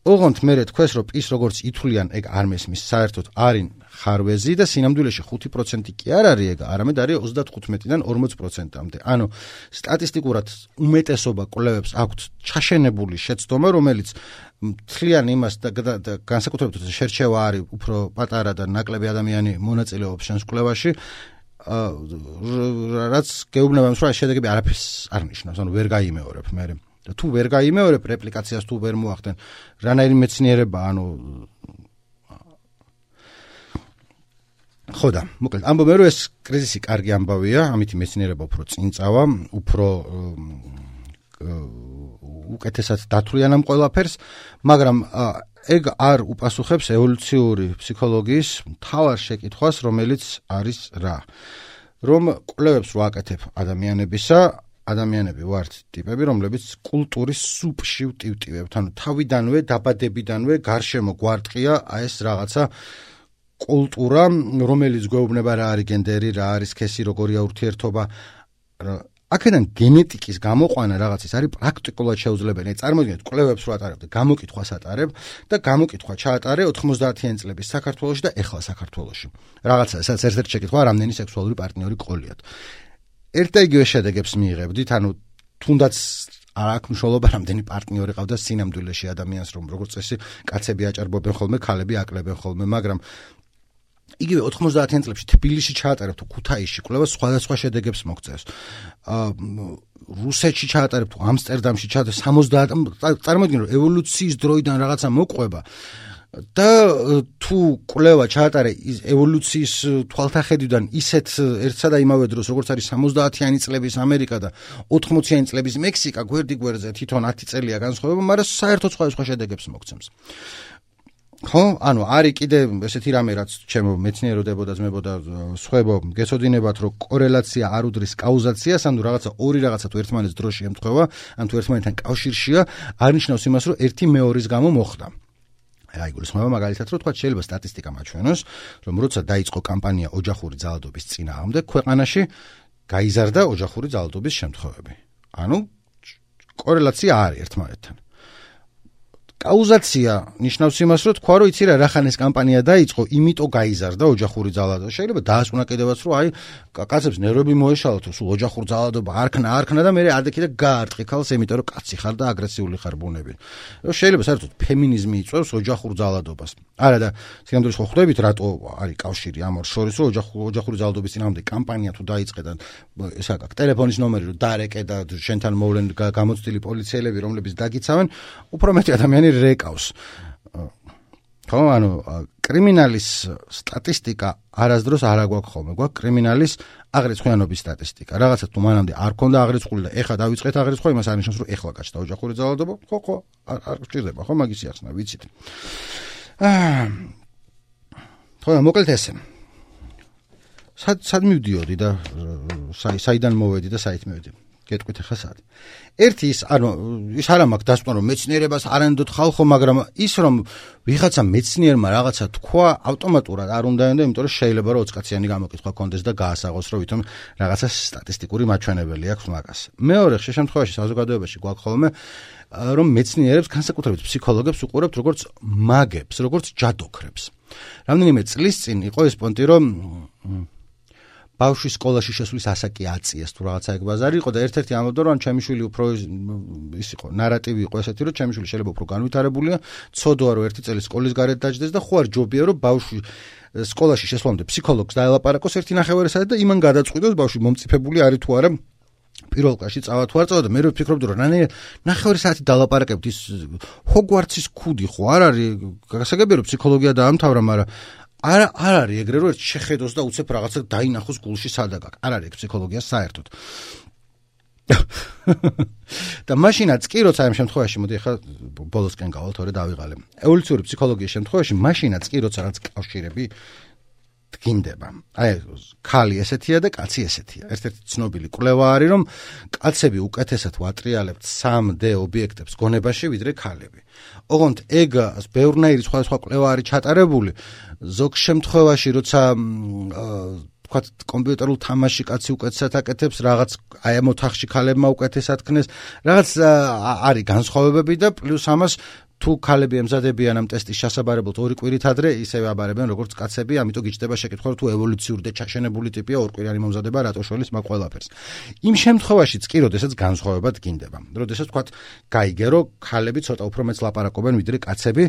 ოღონდ მე თქვეს, რომ პის როგორც ითვლიან, ეგ არ მესმის, საერთოდ არის ხარვეზი და სინამდვილეში 5% კი არ არის ეგ, არამედ არის 35-დან 40%-მდე. ანუ სტატისტიკურად უმეტესობა კვლევებს აქვთ ჩაშენებული შეცდომა, რომელიც თლიან იმას და განსაკუთრებით შერჩევა არის უფრო პატარა და ნაკლები ადამიანი მონაწილეობს შენს კვლევაში, რაც გეუბნება იმას, რომ შედეგები არაფერს არ ნიშნავს, ანუ ვერ გაიმეორებ მე. თუ ვერ გაიმეორებ რეპლიკაციას, თუ ვერ მოახდენ, რანაირი მეცნიერება, ანუ ხო და მოკლედ ამბობენ, რომ ეს კრიზისი კარგი ამბავია, ამითი მეცნიერება უფრო წინ წავა, უფრო უკეთესად დათვლიან ამ ყველაფერს, მაგრამ ეგ არ უპასუხებს ევოლუციური ფსიქოლოგიის მთავარ შეკითხვას, რომელიც არის რა. რომ კვლევებს ვაკეთებ ადამიანებისა, ადამიანები ვართ ტიპები, რომლებიც კულტურის სუპში ვტივტივებთ, ანუ თავიდანვე, დაბადებიდანვე გარშემო გვარტყია ეს რაღაცა კულტურა, რომელიც გვეუბნება რა არის გენდერი, რა არის სქესი, როგორია ურთიერთობა. აქედან გენეტიკის გამოყვანა რაღაცის არის პრაქტიკულად შეუძლებელი. წარმოგიდგენთ, კვლევებს რო ატარებ და გამოკითხვას ატარებ და გამოკითხვა ჩაატარე 90-იანი წლების საქართველოში და ეხლა საქართველოში. რაღაცა, სადაც ერთ-ერთი შეკითხვა, რამდენი სექსუალური პარტნიორი ყოლიათ. ერთ და იგივე შედეგებს მიიღებდით, ანუ თუნდაც არ აქვს მნიშვნელობა, რამდენი პარტნიორი ყავდა სინამდვილეში ადამიანს, რომ როგორც წესი, კაცები აჭარბობენ ხოლმე, ქალები აკლებენ ხოლმე, მაგრამ იგივე 90-იან წლებში თბილისში ჩაატარებ თუ ქუთაისში კვლევა სხვადასხვა შედეგებს მოგწევს. რუსეთში ჩაატარებ თუ ამსტერდამში ჩაატარებ 70 წარმოიდგინე, რომ ევოლუციის დროიდან რაღაცა მოყვება და თუ კვლევა ჩაატარე ევოლუციის თვალთახედვიდან ისეთ ერთსა და იმავე დროს, როგორც არის 70-იანი წლების ამერიკა და 80-იანი წლების მექსიკა, გვერდიგვერდზე თვითონ 10 წელია განსხვავება, მაგრამ საერთოდ სხვადასხვა შედეგებს მოგცემს. ხო, ანუ არის კიდე ესეთი რამე, რაც ჩემო მეცნიეროდებოდა, ძმებოდა, სხვებო, გეცოდინებათ, რომ კორელაცია არ უდრის კაუზაციას, ანუ რაღაცა ორი რაღაცა თუ ერთმანეთს დროში ემთხვევა, ან თუ ერთმანეთთან კავშირშია, არ ნიშნავს იმას, რომ ერთი მეორის გამო მოხდა. აი, გულისხმობა მაგალითად, რომ თქვა შეიძლება სტატისტიკა მაჩვენოს, რომ როცა დაიწყო კამპანია ოჯახური ძალადობის წინააღმდეგ, ქვეყანაში გაიზარდა ოჯახური ძალადობის შემთხვევები. ანუ კორელაცია არის ერთმანეთთან. კაუზაცია ნიშნავს იმას, რომ თქვა, რომ იცი რა, რახან ეს კამპანია დაიწყო, იმიტომ გაიზარდა ოჯახური ძალადობა. შეიძლება დაასკვნა კიდევაც, რომ აი, კაცებს ნერვები მოეშალათ, რომ სულ ოჯახური ძალადობა არქნა და მე ადექი და გაარტყი ქალს, იმიტომ რომ კაცი ხარ და აგრესიული ხარ ბუნები. შეიძლება საერთოდ ფემინიზმი იწვევს ოჯახურ ძალადობას. არა და სინამდვილეში ხო ხვდებით, რატო არის კავშირი ამ ორ შორის, რომ ოჯახური ძალადობის წინააღმდეგ კამპანია თუ დაიწყე და ესა გაქვს ტელეფონის ნომერი, რომ დაარეკე და შენთან მოვლენ გამოცდილი პოლიციელები, რომლებიც დაგიცავენ, უფრო მეტი ადამიანი რეკავს. ხო, ანუ კრიმინალის სტატისტიკა არასდროს არ აგვაქვს ხოლმე. გვაქვს კრიმინალის აღრიცხვიანობის სტატისტიკა. რაღაცა თუ მანამდე არ ქონდა აღრიცხვული და ეხლა დავიწყეთ აღრიცხვა, იმას არ ნიშნავს, რომ ეხლა გაჩნდა ოჯახური ძალადობა. ხო, არ გჭირდება, ხო, მაგის ახსნა, ვიცით. ხო, მოკლედ ესე. სად მივდიოდი და საიდან მოვედი და საით მივედი? გეტყვით ახლა სად. ერთი ის არ მაქვს დასკვნა, რომ მეცნიერებას არ ენდოთ ხალხო, მაგრამ ის რომ ვიღაცა მეცნიერმა რაღაცა თქვა, ავტომატურად არ უნდა ენდო, იმიტომ რომ შეიძლება რომ 20 კაციანი გამოკითხვა კონდეს და გაასაღოს, რომ ვითომ რაღაცა სტატისტიკური მაჩვენებელი აქვს მაგას. მეორე შემთხვევაში საზოგადოებაში გვაქვს ხოლმე, რომ მეცნიერებს, განსაკუთრებით ფსიქოლოგებს უყურებთ როგორც მაგებს, როგორც ჯადოქრებს. რამდენიმე წლის წინ იყო ეს პონტი, რომ ბავშვის სკოლაში შესვლის ასაკი აწიეს თუ რაღაცა ეგ ბაზარი იყო და ერთ-ერთი ამბობდა, რომ ჩემი შვილი უფრო ის იყო, ნარატივი იყო ესეთი, რომ ჩემი შვილი შეიძლება უფრო განვითარებულია, ცოდოა რომ ერთი წელი სკოლის გარეთ დაჯდეს და ხო არ ჯობია რომ ბავშვი სკოლაში შესვლამდე ფსიქოლოგს დაელაპარაკოს ერთი ნახევარი და იმან გადაწყვიტოს ბავშვი მომწიფებული არის თუ არა პირველ კლასში წავა თუ არ წავა და მე ვფიქრობდი რომ ნახევარი საათი დალაპარაკებთ ის ჰოგვარტსის ქუდი ხო არ არის გასაგებია რომ ფსიქოლოგია დაამთავრა, მაგრამ არ არის ეგრე რომ შეხედოს და უცებ რაღაცა დაინახოს გულში სადაგაკ. არ არის ფსიქოლოგია საერთოდ. და მაშინაც კი როცა ამ შემთხვევაში მოდი ახლა ბოლოსკენ გავალთ ორი დავიღალე. ევოლუციური ფსიქოლოგიის შემთხვევაში მაშინაც კი როცა რაღაც კავშირები დგინდება. აი ქალი ესეთია და კაცი ესეთია. ერთ-ერთი ცნობილი კვლევა არის რომ კაცები უკეთესად ვატრიალებთ 3D ობიექტებს გონებაში ვიდრე ქალები. ოღონდ ეგ ბევრნაირი სხვადასხვა კვლევა არის ჩატარებული. ზოგ შემთხვევაში როცა თქვათ კომპიუტერულ თამაში კაცი უკეთესად აკეთებს, რაღაც აი ამ ოთახში ქალებმა უკეთესად ქნეს, რაღაც არის განსხვავებები და პლუს ამას თუ ქალები ემზადებიან ამ ტესტის შესაბარებლად ორი კვირით ადრე, ისევე აბარებენ როგორც კაცები, ამიტომ გიჩნდება შეკითხვა თუ ევოლუციური და ჩაშენებული ტიპია ორკვირიანი მომზადება რატო შორის მაგ ყველაფერს. იმ შემთხვევაშიც კი, როდესაც განსხვავება დგინდება. როდესაც თქვათ გაიგერო ქალები ცოტა უფრო მეც ლაპარაკობენ ვიდრე კაცები,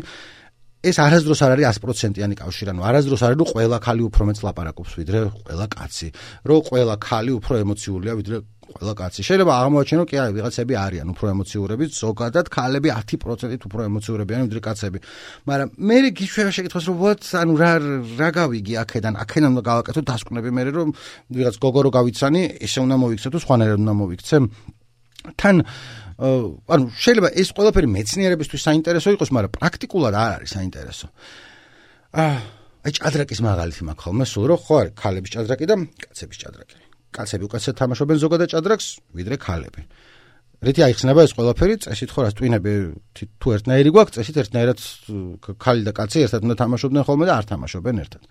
ეს არასდროს არ არის 100%-იანი კავშირი, ანუ არასდროს არ არის რომ ყველა ქალი უფრო მეც ლაპარაკობს ვიდრე ყველა კაცი, რომ ყველა ქალი უფრო ემოციურია ვიდრე ყველა კაცი. შეიძლება აღმოაჩინო კი აი ვიღაცები არიან უფრო ემოციურები, ზოგადად ქალები 10%-ით უფრო ემოციურებიან ვიდრე კაცები. მაგრამ მე გიშვება შეკითხოს რომ ვოთ, ანუ რა გავიგი აქედან უნდა გავაკეთო დასკვნები მე რომ ვიღაც გოგო რო გავიცანი, ესე უნდა მოვიქცე თუ სხვანაირად უნდა მოვიქცე. თან ანუ შეიძლება ეს ყველაფერი მეცნიერებისთვის საინტერესო იყოს, მაგრამ პრაქტიკულად არ არის საინტერესო. აი ჭადრაკის მაგალითი მაქვს ხოლმე სულ რომ ხო არის ქალების ჭადრაკი და კაცების ჭადრაკი. კაცები უკეთესად თამაშობენ ზოგადად ჭადრაკს ვიდრე ქალები. რითი აიხსნება ეს ყველაფერი? წესით ხო რას ტვინები თუ ერთნაირი გვაქვს, წესით ერთნაირად ქალი და კაცი ერთად უნდა თამაშობდნენ ხოლმე და არ თამაშობენ ერთად.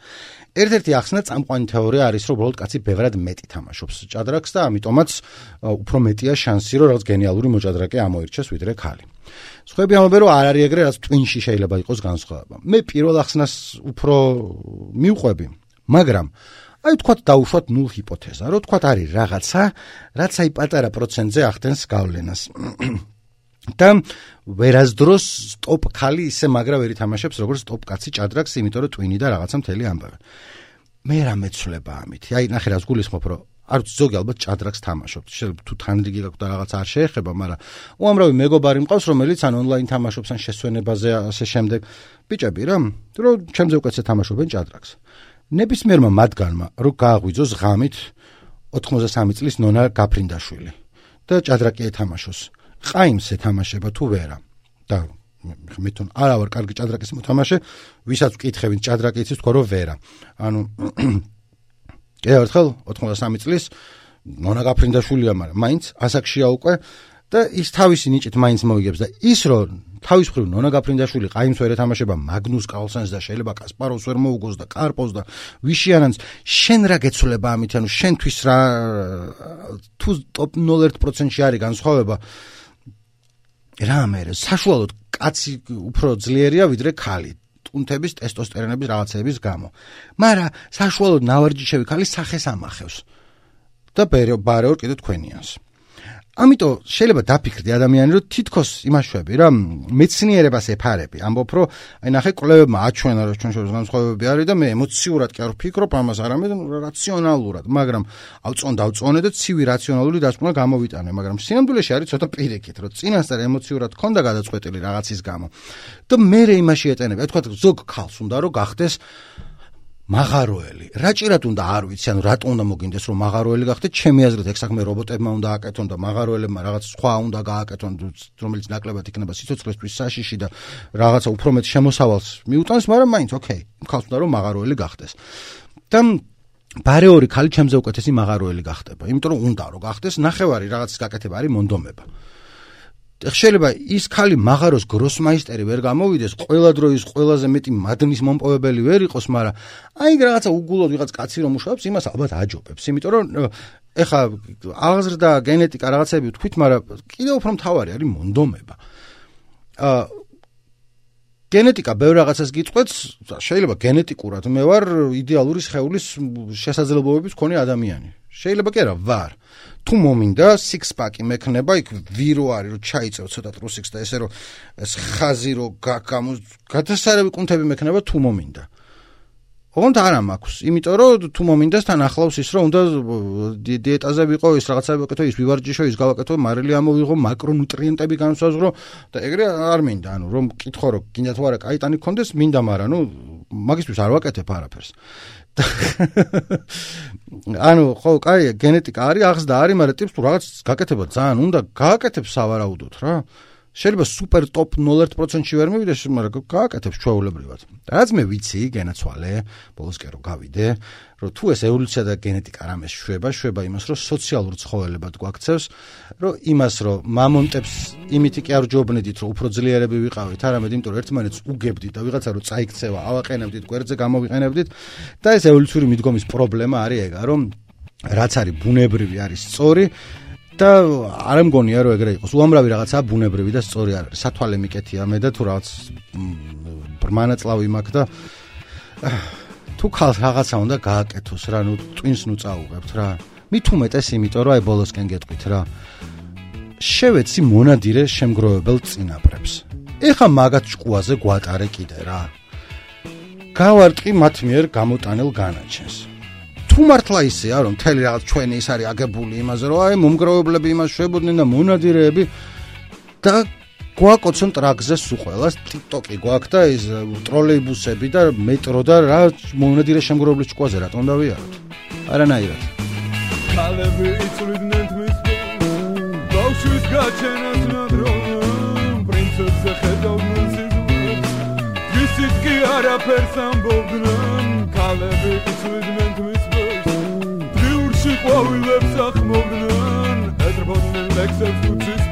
ერთ-ერთი ახსნა წამყვანი თეორია არის, რომ უბრალოდ კაცი ბევრად მეტი თამაშობს ჭადრაკს და ამიტომაც უფრო მეტია შანსი, რომ რაღაც გენიალური მოჭადრაკე ამოირჩეს ვიდრე ქალი. სხვაები ამბობენ, რომ არ არის ეგრე, რაც ტვინში შეიძლება იყოს განსხვავება. მე პირველ ახსნას უფრო მივყვები, მაგრამ აი თქვათ დაუშვათ ნულ ჰიპოთეზა, რომ თქვათ არის რაღაცა, რაც აი პატარა პროცენტზე ახდენს გავლენას. და ვერასდროს სტოპ ქალი ისე მაგრა ვერ ითამაშებს, როგორც სტოპ კაცი ჭადრაკს, იმიტომ რომ ტვინი და რაღაცა მთელი ამბავი. მე რა მეცვლება ამით? აი ნახე რას გულისხმობ, რომ არ ვიცი ზოგი ალბათ ჭადრაკს თამაშობთ. შეიძლება თუ თანრიგი გაქვთ და რაღაც არ შეეხება, მაგრამ უამრავი მეგობარი მყავს, რომელიც ან ონლაინ თამაშობს, ან შესვენებაზე ასე შემდეგ. ბიჭები რა, რომ ჩემზე უკეთესად თამაშობენ ჭადრაკს. ნებისმიერმა მათგანმა რო გააღვიძოს ღამით 83 წლის ნონა გაფრინდაშვილი და ჭადრაკი ეთამაშოს. ყაიმს ეთამაშება თუ ვერა. და მე თვითონ არა ვარ კარგი ჭადრაკის მოთამაშე, ვისაც ვკითხებით ჭადრაკი იცის თქვა რომ ვერა. ანუ ერთხელ 83 წლის ნონა გაფრინდაშვილია, მაგრამ მაინც ასაკშია უკვე და ის თავისი ნიჭით მაინც მოიგებს და ის რომ თავის მხრივ ნონა გაფრინდაშვილი ყაიმს ვერ ეთამაშება მაგნუს კარლსენს და შეიძლება კასპაროვს ვერ მოუგოს და კარპოვს და ვიშიანანს, შენ რა გეცვლება ამით? ანუ შენთვის რა თუ ტოპ 0.1%-ში არის განსხვავება? რა მე საშუალოდ კაცი უფრო ძლიერია ვიდრე ქალი ტუნთების, ტესტოსტერონების რაღაცების გამო. მაგრამ საშუალოდ ნავარჯიშევი ქალი სახეს ამახევს და ბარეორ კიდე თქვენიანს. ამიტომ შეიძლება დაფიქრდე ადამიანი, რომ თითქოს იმაშვები რა, მეცნიერებას ეფარები. ამბობ, რომ აი ნახე კვლევებმა აჩვენა, რომ ჩვენ შორის განსხვავებები არის და მე ემოციურად კი არ ვფიქრობ ამას, არამედ რაციონალურად, მაგრამ ავწონე და ცივი რაციონალური დასკვნა გამოვიტანე, მაგრამ სინამდვილეში არის ცოტა პირიქით, რომ წინასწარ ემოციურად ქონდა გადაწყვეტილი რაღაცის გამო. და მე იმაში ეტენები, თქვა ზოგ ქალს უნდა რომ გახდეს მაღაროელი. რაჭირად უნდა არ ვიცი, ანუ რატო უნდა მოგინდეს რომ მაღაროელი გახდეთ? ჩემი აზრით ეგ საქმე რობოტებმა უნდა აკეთონ და მაღაროელებმა რაღაც სხვა უნდა გააკეთონ, რომელიც ნაკლებად იქნება სიცოცხლისთვის საშიში და რაღაცა უფრო მეტ შემოსავალს მიუტანს, მაგრამ მაინც ოკეი, ქალს უნდა რომ მაღაროელი გახდეს. და ბარეორი ქალი ჩემზე უკეთესი მაღაროელი გახდება, იმიტომ რომ უნდა რომ გახდეს, ნახევარი რაღაცის გაკეთება არის მონდომება. შეიძლება ის ქალი მაღაროს გროსმაისტერი ვერ გამოვიდეს, ყველა დროის ყველაზე მეტი მადნის მომპოვებელი ვერ იყოს, მაგრამ აი რაღაცა უგულოდ ვიღაც კაცი რომ მუშაობს, იმას ალბათ აჯობებს, იმიტომ რომ ეხა აღზრდა, გენეტიკა რაღაცები ვთქვით, მაგრამ კიდევ უფრო მთავარი არის მონდომება. გენეტიკა ბევრ რაღაცას გიწყვეტს, შეიძლება გენეტიკურად მე ვარ იდეალური სხეულის შესაძლებლობების მქონე ადამიანი. შეიძლება კი არა ვარ. თუ მომინდა six-pack-ი მექნება, იქ ვირო არის, რომ ჩაიწევ ცოტა ტრუსიქს და ესე რომ ეს ხაზი რო გადასარევი კუნთები მექნება თუ მომინდა. ოღონდ არა მაქვს, იმიტომ რომ თუ მომინდას თან ახლავს ის, რომ უნდა დიეტაზე ვიყო, ის რაღაცები ვაკეთო, ის ვივარჯიშო, ის გავაკეთო, მარილი ამოვიღო, მაკრონუტრიენტები განსაზღვრო და ეგრე არ მინდა, ანუ რომ მკითხო რომ გინდა თუ არა კაიტანი გქონდეს, მინდა, მაგრამ მაგისთვის არ ვაკეთებ არაფერს. ანუ ხო, კაია, გენეტიკა არის, აღზრდა არის, მაგრამ ტიპს თუ რაღაც გაკეთება ძალიან უნდა, გააკეთებს სავარაუდოდ რა. შეიძლება სუპერ ტოპ 0.1%-ში ვერ მივიდეს, მაგრამ გააკეთებს ჩვეულებრივად. რაც მე ვიცი, გენაცვალე, ბოლოსკენ რომ გავიდე, რომ თუ ეს ევოლუცია და გენეტიკა რამეს შვება იმას, რომ სოციალურ ცხოველებად გვაქცევს, რომ იმას, რომ მამონტებს იმითი კი არ ჯობნედით, რომ უფრო ძლიერები ვიყავით, არამედ იმიტომ, რომ ერთმანეთს უგებდით და ვიღაცა რომ წაიქცევა, ავაყენებდით, გვერდზე გამოვიყენებდით და ეს ევოლუციური მიდგომის პრობლემა არის ეგა, რომ რაც არის ბუნებრივი არის სწორი და არ მგონია რომ ეგრე იყოს. უამრავი რაღაცაა ბუნებრივი და სწორი არ არის. სათვალე მიკეთია მე და თუ რაღაც ბრმანაწლავი მაქვს და თუ ხალხ რაღაცა უნდა გააკეთოს რა, ნუ ტვინს ნუ წაუღებთ რა. მით უმეტეს იმიტომ რომ აი ბოლოსკენ გეტყვით რა. შევეცი მონადირე შემგროვებელ წინაპრებს. ეხა მაგათ ჭკუაზე გვატარე კიდე რა. გავარტყი მათ მიერ გამოტანელ განაჩენს. თუ მართლა ისეა რომ მთელი რაღაც ჩვენი ის არის აგებული იმაზე რომ აი მომგროვებლები იმას შვებოდნენ და მონადირეები და გვაკოცონ ტრაქზე სულ ყველას TikTok-ი გვაქვს და ის ტროლეიბუსები და მეტრო და რა მონადირე შემგროვებლის ჭკუაზე რატომ დავიაროთ? არანაირად. ქალები იწვლიდნენ თმის ბავშვის გაჩენას ნადროდნენ პრინცესზე ხედავდნენ სიზმრებს ისიც კი არაფერს ამბობდნენ ქალები იწვლიდნენ თმის ყვავილებს ახმობდნენ ეძრბოდნენ ლექსებს უცის